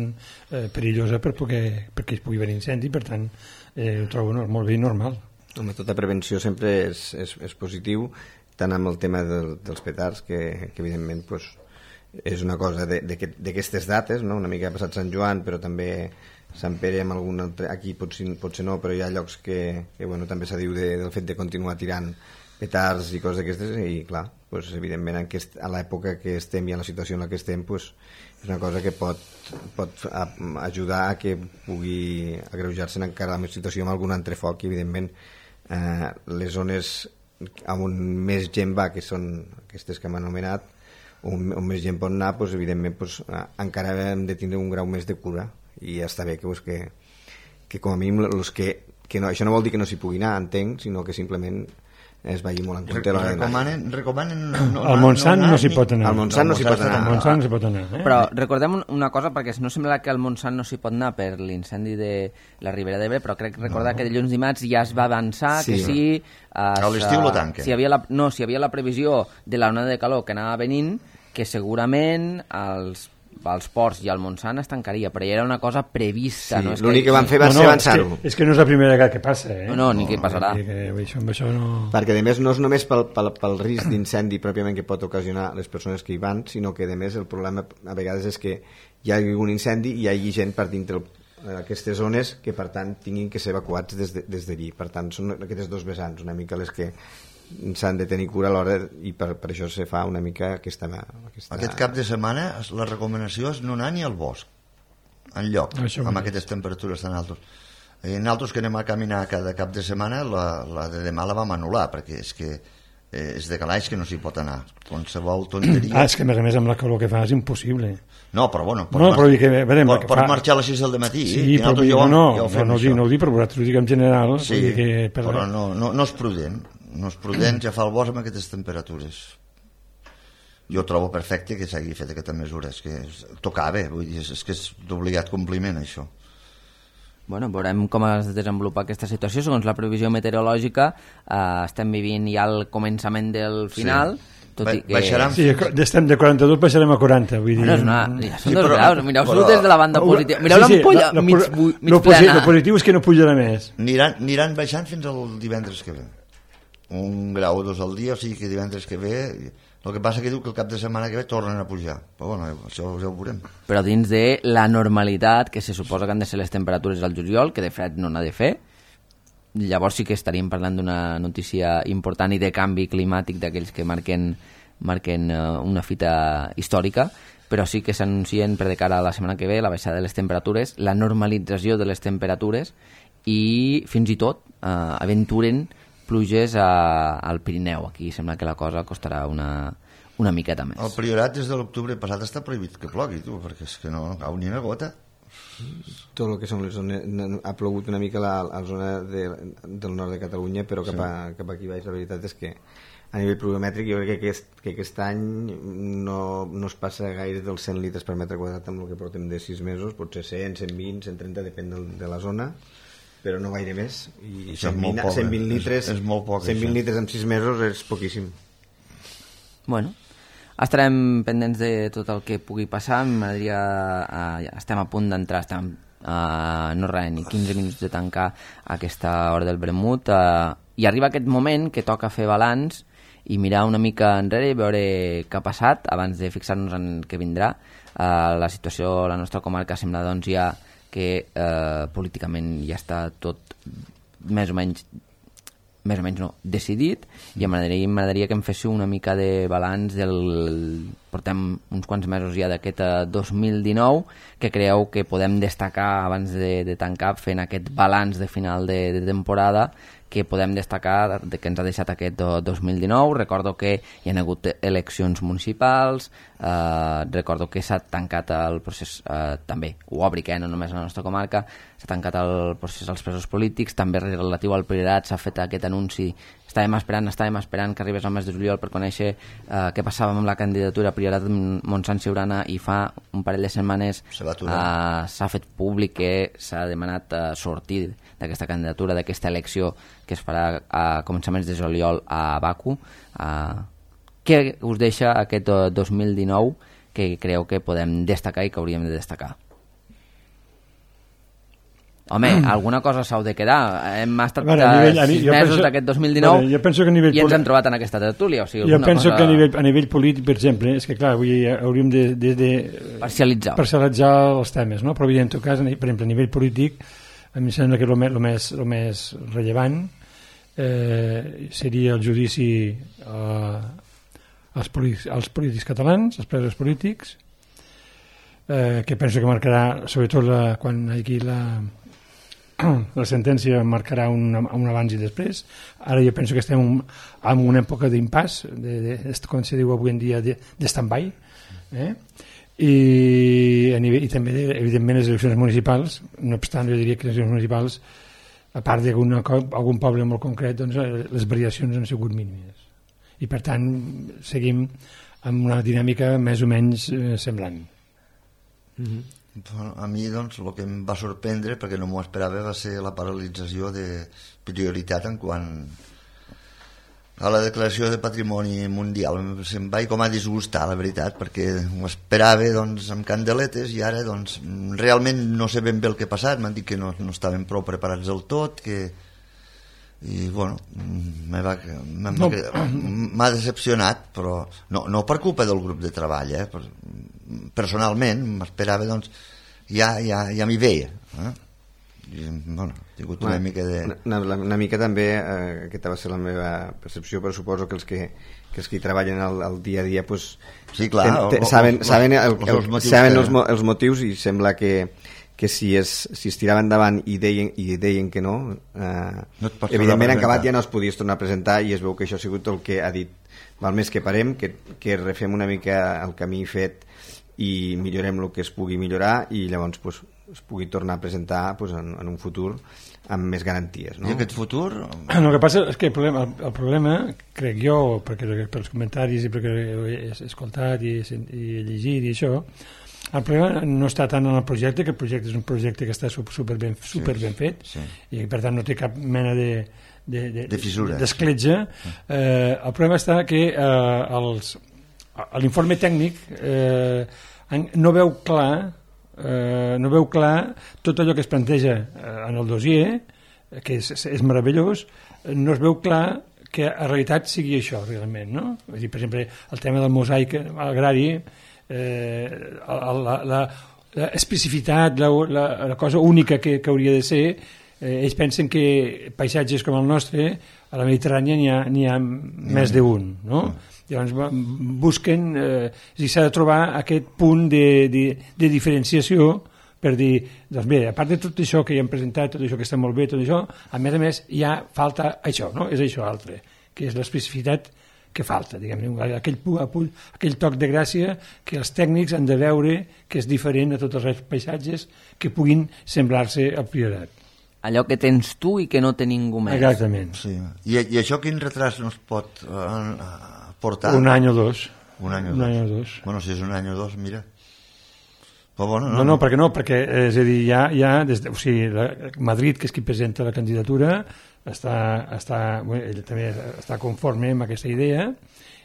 eh, perillosa per poder, perquè es pugui haver incendi, per tant, eh, ho trobo no, molt bé i normal. Home, tota prevenció sempre és, és, és positiu, tant amb el tema del, dels petards, que, que evidentment pues, és una cosa d'aquestes dates, no? Una mica ha passat Sant Joan, però també Sant Pere amb algun altre, aquí potser, potser no, però hi ha llocs que, que bueno, també se diu de, del fet de continuar tirant petards i coses d'aquestes, i clar, pues, evidentment en aquest, a l'època que estem i a la situació en la que estem, pues, és una cosa que pot, pot a, ajudar a que pugui agreujar-se encara la situació amb algun altre foc, i evidentment eh, les zones on més gent va, que són aquestes que hem anomenat, on, on més gent pot anar, pues, evidentment pues, encara hem de tindre un grau més de cura, i ja està bé que, pues, que, que com a mínim los que, que no, això no vol dir que no s'hi pugui anar, entenc, sinó que simplement es vagi molt en compte. Recomanen, recomanen no, al Montsant no, no s'hi pot anar. Al Montsant no s'hi pot anar. Al Montsant no s'hi pot anar. Eh? Però recordem una cosa, perquè no sembla que al Montsant no s'hi pot anar per l'incendi de la Ribera d'Ebre, però crec recordar no. que dilluns dimarts ja es va avançar sí. que sí... Es, a l'estiu lo tanquen. Si hi havia la, no, si hi havia la previsió de la onada de calor que anava venint, que segurament els als ports i al Montsant es tancaria, però ja era una cosa prevista. Sí, no? L'únic que, que van fer va no, ser no, avançar-ho. És, que, és que no és la primera vegada que passa, eh? No, no, ni no, que passarà. Que, això, això no... Perquè, a més, no és només pel, pel, pel risc d'incendi pròpiament que pot ocasionar les persones que hi van, sinó que, a més, el problema a vegades és que hi ha un incendi i hi hagi gent per dintre aquestes zones que, per tant, tinguin que ser evacuats des d'allí. De, des per tant, són aquestes dos vessants, una mica les que s'han de tenir cura a l'hora i per, per això se fa una mica aquesta, aquesta... Aquest cap de setmana la recomanació és no anar ni al bosc enlloc amb aquestes temperatures tan altes. I nosaltres que anem a caminar cada cap de setmana la, la de demà la vam anul·lar perquè és que eh, és de calaix que no s'hi pot anar, qualsevol tonteria. Ah, és que a més a més amb la calor que fa és impossible. No, però bueno, pots, no, però dir que, veure, pot, que pot fa... marxar a les sis del matí. Sí, eh? però jo, no, jo no, no, ho dic, no ho dic, però vosaltres ho dic en general. Sí, dir que per... però no, no, no és prudent. No és prudent ja fa el bosc amb aquestes temperatures. Jo trobo perfecte que s'hagi fet aquesta mesura, és que tocava, vull dir, és que és d'obligat compliment això. Bueno, veurem com es desenvolupa aquesta situació. Segons la previsió meteorològica, eh, estem vivint ja el començament del final, sí. tot i que... Baixaran... Sí, estem de quaranta-dos, baixarem a quaranta, vull dir... Bueno, és una... Ja són sí, dos però, graus, mireu-s'ho però... des de la banda positiva. Mireu sí, sí, l'ampolla la, la, mig, mig lo plana. El positiu és que no pujarà més. Aniran, aniran baixant fins al divendres que ve. Un grau o dos al dia, o sigui que divendres que ve... El que passa que diu que el cap de setmana que ve tornen a pujar. Però bueno, això ja ho veurem. Però dins de la normalitat, que se suposa que han de ser les temperatures al juliol, que de fred no n'ha de fer, llavors sí que estaríem parlant d'una notícia important i de canvi climàtic d'aquells que marquen, marquen uh, una fita històrica, però sí que s'anuncien per de cara a la setmana que ve la baixada de les temperatures, la normalització de les temperatures i fins i tot uh, aventuren pluges a, al Pirineu. Aquí sembla que la cosa costarà una, una miqueta més. El Priorat des de l'octubre passat està prohibit que plogui, tu, perquè és que no cau ni una gota. Tot el que són les zones... Ha plogut una mica la, la zona de, del nord de Catalunya, però cap, a, sí. cap aquí baix la veritat és que a nivell pluviomètric jo crec que aquest, que aquest any no, no es passa gaire dels cent litres per metre quadrat amb el que portem de sis mesos, potser cent, cent vint, cent trenta, depèn de, de la zona, però no gaire més. I cent vint, poc, cent vint litres, és, és molt poc, cent vint això. Litres en sis mesos és poquíssim. Bueno, estarem pendents de tot el que pugui passar. M'agradaria, eh, estem a punt d'entrar, estem a eh, no res, ni quinze minuts de tancar aquesta hora del vermut, eh, i arriba aquest moment que toca fer balanç i mirar una mica enrere i veure què ha passat abans de fixar-nos en què vindrà. Eh, la situació a la nostra comarca sembla doncs ja que eh, políticament ja està tot més o menys més o menys no, decidit, i m'agradaria, m'agradaria que em féssiu una mica de balanç del... portem uns quants mesos ja d'aquest dos mil dinou, que creieu que podem destacar abans de, de tancar fent aquest balanç de final de, de temporada, que podem destacar de que ens ha deixat aquest dos mil dinou. Recordo que hi ha hagut eleccions municipals, eh, recordo que s'ha tancat el procés, eh, també ho obric, eh, no només a la nostra comarca, s'ha tancat el procés als presos polítics, també relatiu al Priorat s'ha fet aquest anunci, estàvem esperant, estàvem esperant que arribés el mes de juliol per conèixer eh, què passava amb la candidatura Priorat Montsant Siurana, i fa un parell de setmanes eh, s'ha fet públic que s'ha demanat eh, sortir d'aquesta candidatura, d'aquesta elecció que es farà a començaments de juliol a Baku. Uh, què us deixa aquest dos mil dinou que creu que podem destacar i que hauríem de destacar? Home, alguna cosa s'hau de quedar. Hem estat bueno, a nivell, sis a mesos d'aquest dos mil dinou, bueno, jo penso que a nivell i ens hem trobat en aquesta tertúlia. O sigui, jo penso cosa... que a nivell, a nivell polític, per exemple, és que clar, avui hauríem de, de, de parcialitzar. parcialitzar els temes, no? Però en tot cas, per exemple, a nivell polític, a mi sembla que el més, el més, el més rellevant eh, seria el judici eh, als, polítics, als polítics catalans, als presos polítics, eh, que penso que marcarà, sobretot la, quan aquí la, la sentència marcarà un, un abans i després. Ara jo penso que estem un, en una època d'impàs, de, de, de, com se diu avui en dia, de, de stand-by, eh? I, a nivell, i també evidentment les eleccions municipals. No obstant, jo diria que les eleccions municipals a part d'algun poble molt concret, doncs, les variacions han sigut mínimes. I per tant seguim amb una dinàmica més o menys eh, semblant. Mm-hmm. A mi, doncs, el que em va sorprendre, perquè no m'ho esperava, va ser la paralització de prioritat en quant a la declaració de patrimoni mundial. Se'm va com a disgustar, la veritat, perquè ho esperava, doncs, amb candeletes, i ara, doncs, realment no sé ben bé el que ha passat. M'han dit que no, no estaven prou preparats del tot, que... i, bueno, m'ha no. decepcionat, però no, no per culpa del grup de treball, eh? Personalment, m'esperava, doncs, ja, ja, ja m'hi veia, eh? I, bueno, he tingut una, una mica de... Una, una, una mica també, eh, aquesta va ser la meva percepció, però suposo que els que, que, els que hi treballen al, al dia a dia pues, sí, clar, ten, ten, o, saben, o, saben, el, el, els, motius saben que... els, els motius, i sembla que, que si, es, si es tirava endavant i deien, i deien que no, eh, no evidentment en acabat ja no es podies tornar a presentar, i es veu que això ha sigut el que ha dit. Val més que parem, que, que refem una mica el camí fet i millorem el que es pugui millorar, i llavors pues, es pugui tornar a presentar pues, en, en un futur amb més garanties, no? I aquest futur... El que passa és que el problema, el, el problema crec jo, perquè pels comentaris i perquè he escoltat i, i he llegit i això, el problema no està tant en el projecte, que el projecte és un projecte que està super ben, super ben sí, fet, sí. I per tant no té cap mena de de, de, de fissura, d'escletxa. Eh, el problema està que eh, els, l'informe tècnic eh, no veu clar Eh, no veu clar tot allò que es planteja eh, en el dossier, que és, és meravellós, no es veu clar que en realitat sigui això realment, no? Vull dir, per exemple, el tema del mosaic agrari, eh, la, la, la especificitat, la, la, la cosa única que, que hauria de ser, eh, ells pensen que paisatges com el nostre a la Mediterrània n'hi ha, n'hi ha més d'un, no? Llavors busquen, eh, s'ha de trobar aquest punt de, de, de diferenciació per dir, doncs bé, a part de tot això que ja hem presentat, tot això que està molt bé, tot això, a més a més ja falta això, no? És això altre, que és l'especificitat que falta, diguem-ne, aquell, aquell toc de gràcia que els tècnics han de veure que és diferent a tots els paisatges que puguin semblar-se al Priorat. Allò que tens tu i que no té ningú més. Exactament. Sí. I, I això quin retras no es pot uh, portar? Un any o dos. Un any o un dos. Any o dos. Bueno, si és un any o dos, mira. Però bueno, no, no, no, perquè no, perquè és a dir, ja, ja des de, o sigui, la, Madrid, que és qui presenta la candidatura, està, està, bueno, ell també està conforme amb aquesta idea,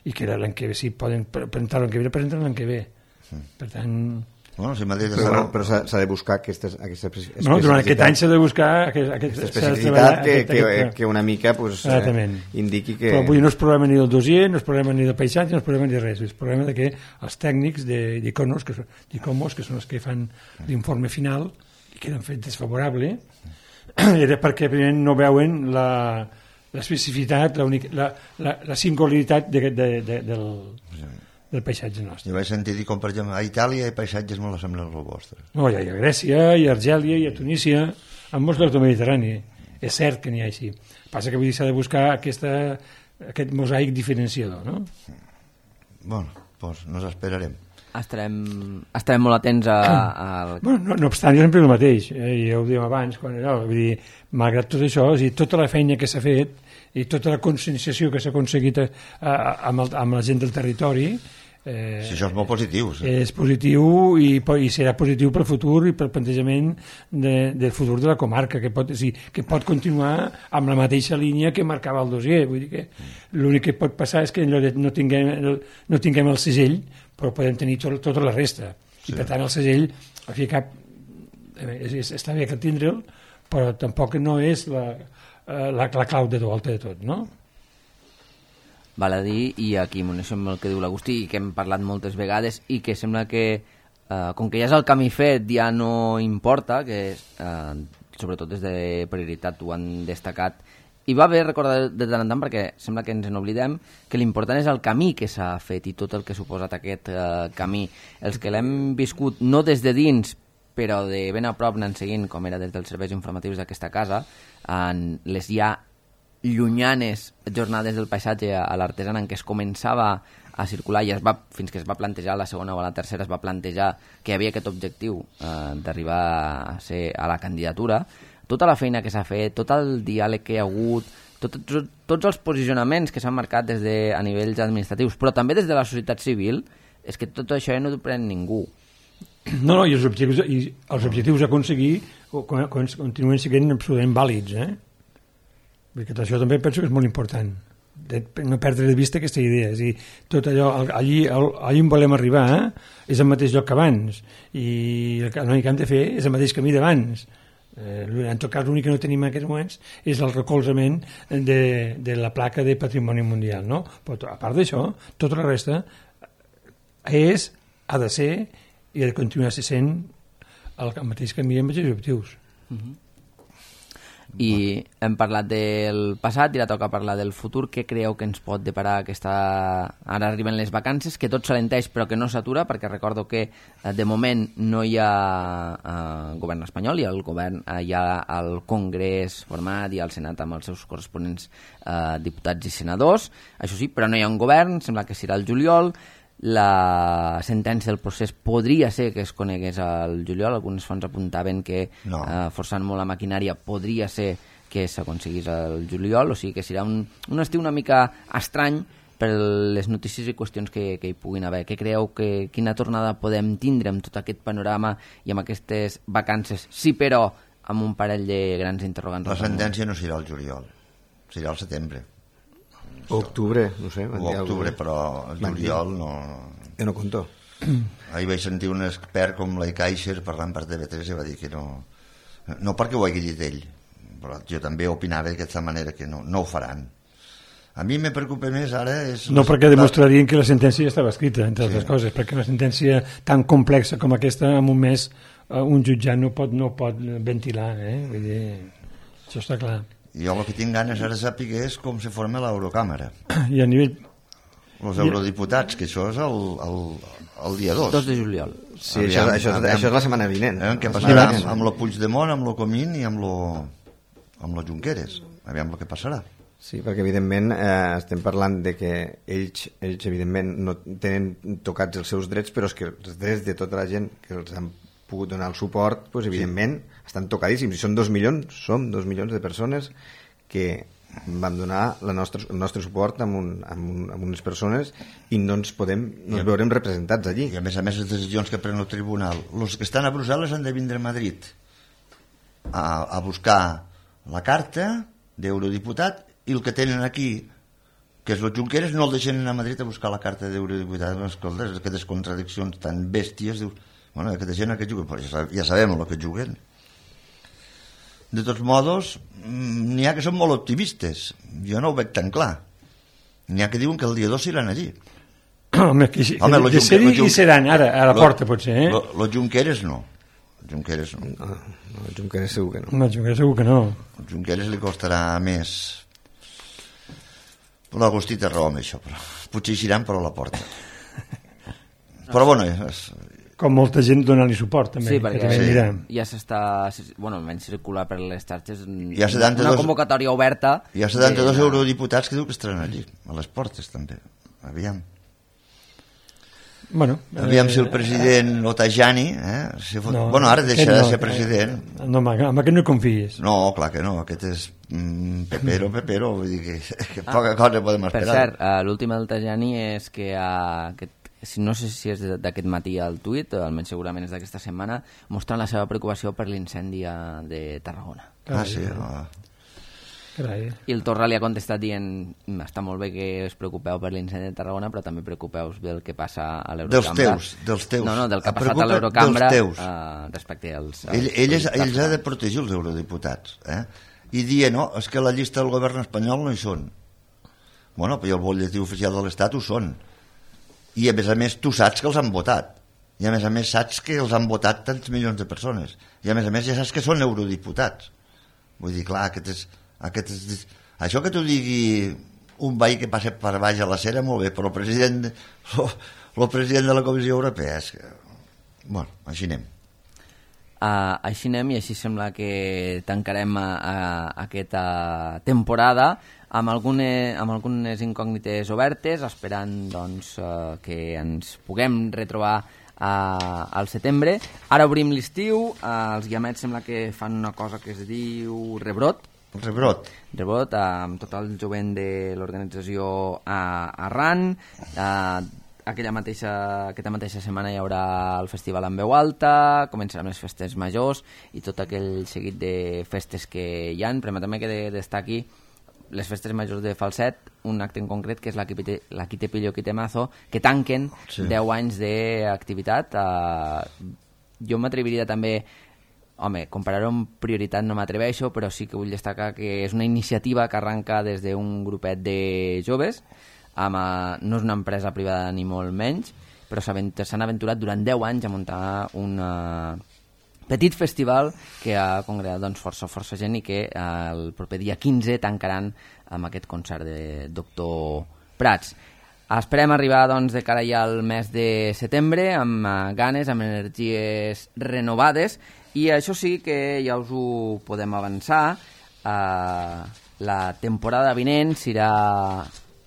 i que l'any que ve, si poden presentar l'any que ve, presenten l'any que ve. Sí. Per tant... Bueno, si Madrid però bueno, però s'ha de buscar aquestes, aquesta no, durant aquest any s'ha de buscar aquest, aquesta especificitat que, aquest, que, que una mica pues, eh, indiqui que... Però avui no és problema ni del dossier, no és problema ni del paisatge, no és problema ni de res, és problema de que els tècnics d'Icomos, que, que són els que fan l'informe final i que l'han fet desfavorable, era perquè primer no veuen la l'especificitat, la, la, la, la singularitat de, de, de, del... del paisatge nostre. Jo vaig sentir dir com, per exemple, a Itàlia hi ha paisatges molt semblants als vostres. No, hi ha a Grècia, hi ha a Argèlia, hi ha a Tunísia, en molts llocs del Mediterrani. És cert que n'hi ha així. Passa que vull dir s'ha de buscar aquesta, aquest mosaic diferenciador, no? Bueno, doncs nos esperarem. Estarem, estarem molt atents a... a... Bueno, no, no obstant, jo sempre el mateix, eh, ja ho dèiem abans, quan, no, vull dir, malgrat tot això, o sigui, tota la feina que s'ha fet i tota la conscienciació que s'ha aconseguit a, a, amb, el, amb la gent del territori, Eh, sí, això és molt positiu. Sí. És positiu i, i serà positiu pel futur i pel plantejament de, del futur de la comarca, que pot, sí, que pot continuar amb la mateixa línia que marcava el dossier. Vull dir que l'únic que pot passar és que no tinguem, no tinguem el segell, però podem tenir tot, tota la resta. Sí. I per tant el segell, al fi cap, és, és, està bé que tindre'l, però tampoc no és la, la, la clau de volta de tot, no? Val a dir, i aquí m'uneixo amb el que diu l'Agustí i que hem parlat moltes vegades i que sembla que eh, com que ja és el camí fet ja no importa, que eh, sobretot des de prioritat ho han destacat, i va bé recordar de tant en tant perquè sembla que ens n'oblidem que l'important és el camí que s'ha fet i tot el que ha suposat aquest eh, camí. Els que l'hem viscut no des de dins però de ben a prop anant seguint, com era des dels serveis informatius d'aquesta casa, en les ja llunyanes jornades del paisatge a l'artesana en què es començava a circular i es va, fins que es va plantejar la segona o la tercera es va plantejar que hi havia aquest objectiu eh, d'arribar a ser a la candidatura. tota la feina que s'ha fet, tot el diàleg que hi ha hagut, tot, tot, tots els posicionaments que s'han marcat des de, a nivells administratius, però també des de la societat civil, és que tot això ja no ho pren ningú. No, no, i els objectius, i els objectius a aconseguir continuen sent absolutament vàlids, eh? Perquè això també penso que és molt important, de no perdre de vista aquesta idea. És a dir, tot allò, allí, allí on volem arribar eh? és el mateix lloc que abans, i el que hem de fer és el mateix camí d'abans. Eh, en tot cas, l'únic que no tenim en aquests moments és el recolzament de, de la placa de Patrimoni Mundial, no? Però a part d'això, tota la resta és, ha de ser i ha de continuar sent el, el mateix camí amb els objectius. Uh-huh. I hem parlat del passat i ara toca parlar del futur. Què creieu que ens pot deparar aquesta... Ara arriben les vacances, que tot s'alenteix però que no s'atura, perquè recordo que de moment no hi ha eh, govern espanyol, hi ha el govern, eh, hi ha el Congrés format i el Senat amb els seus corresponents eh, diputats i senadors, això sí, però no hi ha un govern, sembla que serà el juliol. La sentència del procés podria ser que es conegués al juliol, algunes fonts apuntaven que no. eh, forçant molt la maquinària podria ser que s'aconseguís al juliol, o sigui que serà un, un estiu una mica estrany per les notícies i qüestions que, que hi puguin haver. Què creieu que quina tornada podem tindre amb tot aquest panorama i amb aquestes vacances, sí però amb un parell de grans interrogants? La sentència no serà al juliol, serà al setembre. O octubre, no sé. O octubre, però el juliol no... Jo no conto. Ahir vaig sentir un expert com l'Ai Kaiser parlant per T V tres i va dir que no... No perquè ho hagi dit ell, però jo també opinava d'aquesta manera que no, no ho faran. A mi me preocupa més ara... És no perquè demostrarien que la sentència ja estava escrita, entre altres sí. coses, perquè una sentència tan complexa com aquesta, en un mes, un jutjat no pot, no pot ventilar, eh? Vull dir, això està clar. Jo el que tinc ganes ara de saber és com se forma l'Eurocàmera. I a nivell... Els eurodiputats, que això és el, el, el dia dos. dos de juliol. Sí, aviam, això, això, aviam, això és la setmana vinent. Eh, què passarà amb, amb lo Puigdemont, amb lo Comín i amb lo, amb lo Junqueras. Aviam el que passarà. Sí, perquè evidentment eh, estem parlant de que ells, ells evidentment no tenen tocats els seus drets, però és que els drets de tota la gent que els han pogut donar el suport, doncs, evidentment sí. estan tocadíssims, i són dos milions, som dos milions de persones que vam donar la nostra, el nostre suport amb, un, amb, un, amb unes persones i no ens podem, no ens veurem representats allí. I a més a més les decisions que pren el tribunal, els que estan a Brussel·les han de vindre a Madrid a, a buscar la carta d'eurodiputat, i el que tenen aquí, que és el Junqueras, no el deixen anar a Madrid a buscar la carta d'eurodiputat. Escolta, aquestes contradiccions tan bèsties, dius, bueno, aquesta gent que juguen, però ja, ja sabem el que juguen. De tots modos, n'hi ha que són molt optimistes. Jo no ho veig tan clar. N'hi ha que diuen que el dia dos iran allí. Home, que, que Home de, de ser hi seran, ara, a la lo, porta potser, eh? Los Junqueras no. Junqueras no. No, no, el Junqueras segur que no. No, el Junqueras segur que no. El Junqueras li costarà més. L'Agustí té raó amb això, però potser hi iran, però a la porta. Però bueno, és... Com molta gent dona-li suport també. Sí, perquè sí. ja s'està, bueno, almenys circular per les xarxes hi ha setanta-dos, una convocatòria oberta. Hi ha setanta-dos de... eurodiputats que diu que estaran allí, a les portes també. Aviam. Bueno, Aviam eh... si el president Otajani, eh, si fot... no, bueno, ara deixarà no, de ser president. Eh, no, amb aquest no confies. No, clar que no, aquest és mm, pepero, pepero, vull dir que, que poca ah, cosa podem esperar. Per cert, uh, l'últim del Tajani és que uh, aquest no sé si és d'aquest matí al tuit, almenys segurament és d'aquesta setmana, mostrant la seva preocupació per l'incendi de Tarragona. Ah, sí? No. Carai. I el Torra li ha contestat dient està molt bé que us preocupeu per l'incendi de Tarragona, però també preocupeu del que passa a l'Eurocambra. Dels teus, dels teus. No, no, del que ha passat a l'Eurocambra uh, respecte als... als ell, ell, és, ells ha de protegir els eurodiputats, eh? I dir, no, és que la llista del govern espanyol no hi són. Bueno, però el butlletí oficial de l'Estat ho són. I a més a més tu saps que els han votat, i a més a més saps que els han votat tants milions de persones, i a més a més ja saps que són eurodiputats. Vull dir, clar, aquest és, aquest és... això que t'ho digui un veí que passa per baix a la cera, molt bé, però el president el president de la Comissió Europea és que... bueno, així anem. Uh, així anem i així sembla que tancarem a, a, a aquesta temporada amb, algune, amb algunes incògnites obertes, esperant doncs, uh, que ens puguem retrobar Uh, al setembre. Ara obrim l'estiu, uh, els guiamets sembla que fan una cosa que es diu Rebrot. Rebrot. Rebrot, uh, amb tot el jovent de l'organització a uh, arran. Uh, aquella mateixa, aquesta mateixa setmana hi haurà el festival en veu alta, començaran les festes majors i tot aquell seguit de festes que hi ha. Permetem que de, destaqui les festes majors de Falset, un acte en concret que és la Quite Pillo Quite Mazo, que tanquen sí. deu anys d'activitat. Uh, jo m'atreviria també, home, comparar-ho amb prioritat no m'atreveixo, però sí que vull destacar que és una iniciativa que arranca des d'un grupet de joves, amb, uh, no és una empresa privada ni molt menys, però s'han aventurat durant deu anys a muntar una petit festival que ha congregat doncs, força, força gent i que eh, el proper dia quinze tancaran amb aquest concert de Doctor Prats. Esperem arribar doncs, de cara ja al mes de setembre amb uh, ganes, amb energies renovades i això sí que ja us ho podem avançar. Uh, la temporada vinent serà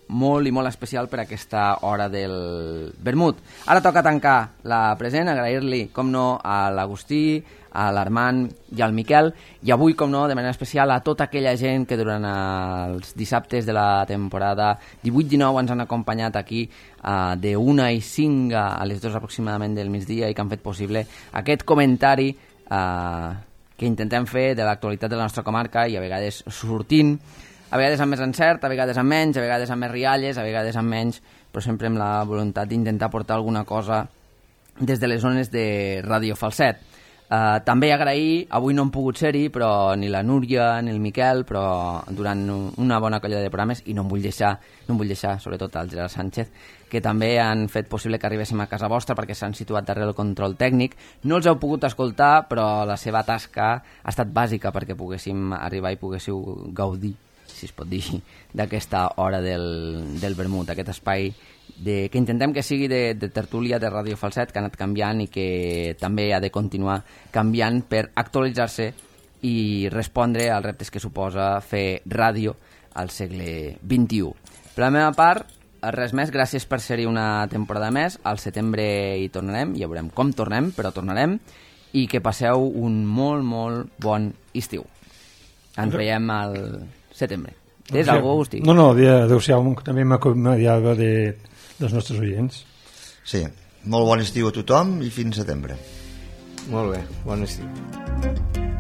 molt i molt especial per aquesta hora del vermut. Ara toca tancar la present, agrair-li, com no, a l'Agustí, a l'Armand i al Miquel, i avui, com no, de manera especial a tota aquella gent que durant els dissabtes de la temporada divuit dinou ens han acompanyat aquí uh, de una i cinc a les dues aproximadament del migdia i que han fet possible aquest comentari uh, que intentem fer de l'actualitat de la nostra comarca i a vegades sortint, a vegades amb més encert, a vegades amb menys, a vegades amb més rialles, a vegades amb menys, però sempre amb la voluntat d'intentar portar alguna cosa des de les zones de Ràdio Falset. Uh, també agrair, avui no han pogut ser-hi, però ni la Núria ni el Miquel, però durant una bona colla de programes, i no em vull deixar, no em vull deixar sobretot al Gerard Sánchez, que també han fet possible que arribéssim a casa vostra perquè s'han situat darrere el control tècnic. No els heu pogut escoltar, però la seva tasca ha estat bàsica perquè poguéssim arribar i poguéssiu gaudir, si es pot dir, d'aquesta hora del, del vermut, aquest espai de, que intentem que sigui de, de tertúlia de Ràdio Falset, que ha anat canviant i que també ha de continuar canviant per actualitzar-se i respondre als reptes que suposa fer ràdio al segle vint-i-u. Per la meva part, res més, gràcies per ser-hi una temporada més, al setembre hi tornarem, ja veurem com tornem, però tornarem, i que passeu un molt, molt bon estiu. Ens veiem al setembre. Tens alguna cosa, Agustí? No, no, adéu-siau, també m'acomiadava de, dels nostres oients. Sí, molt bon estiu a tothom i fins setembre. Molt bé, bon estiu.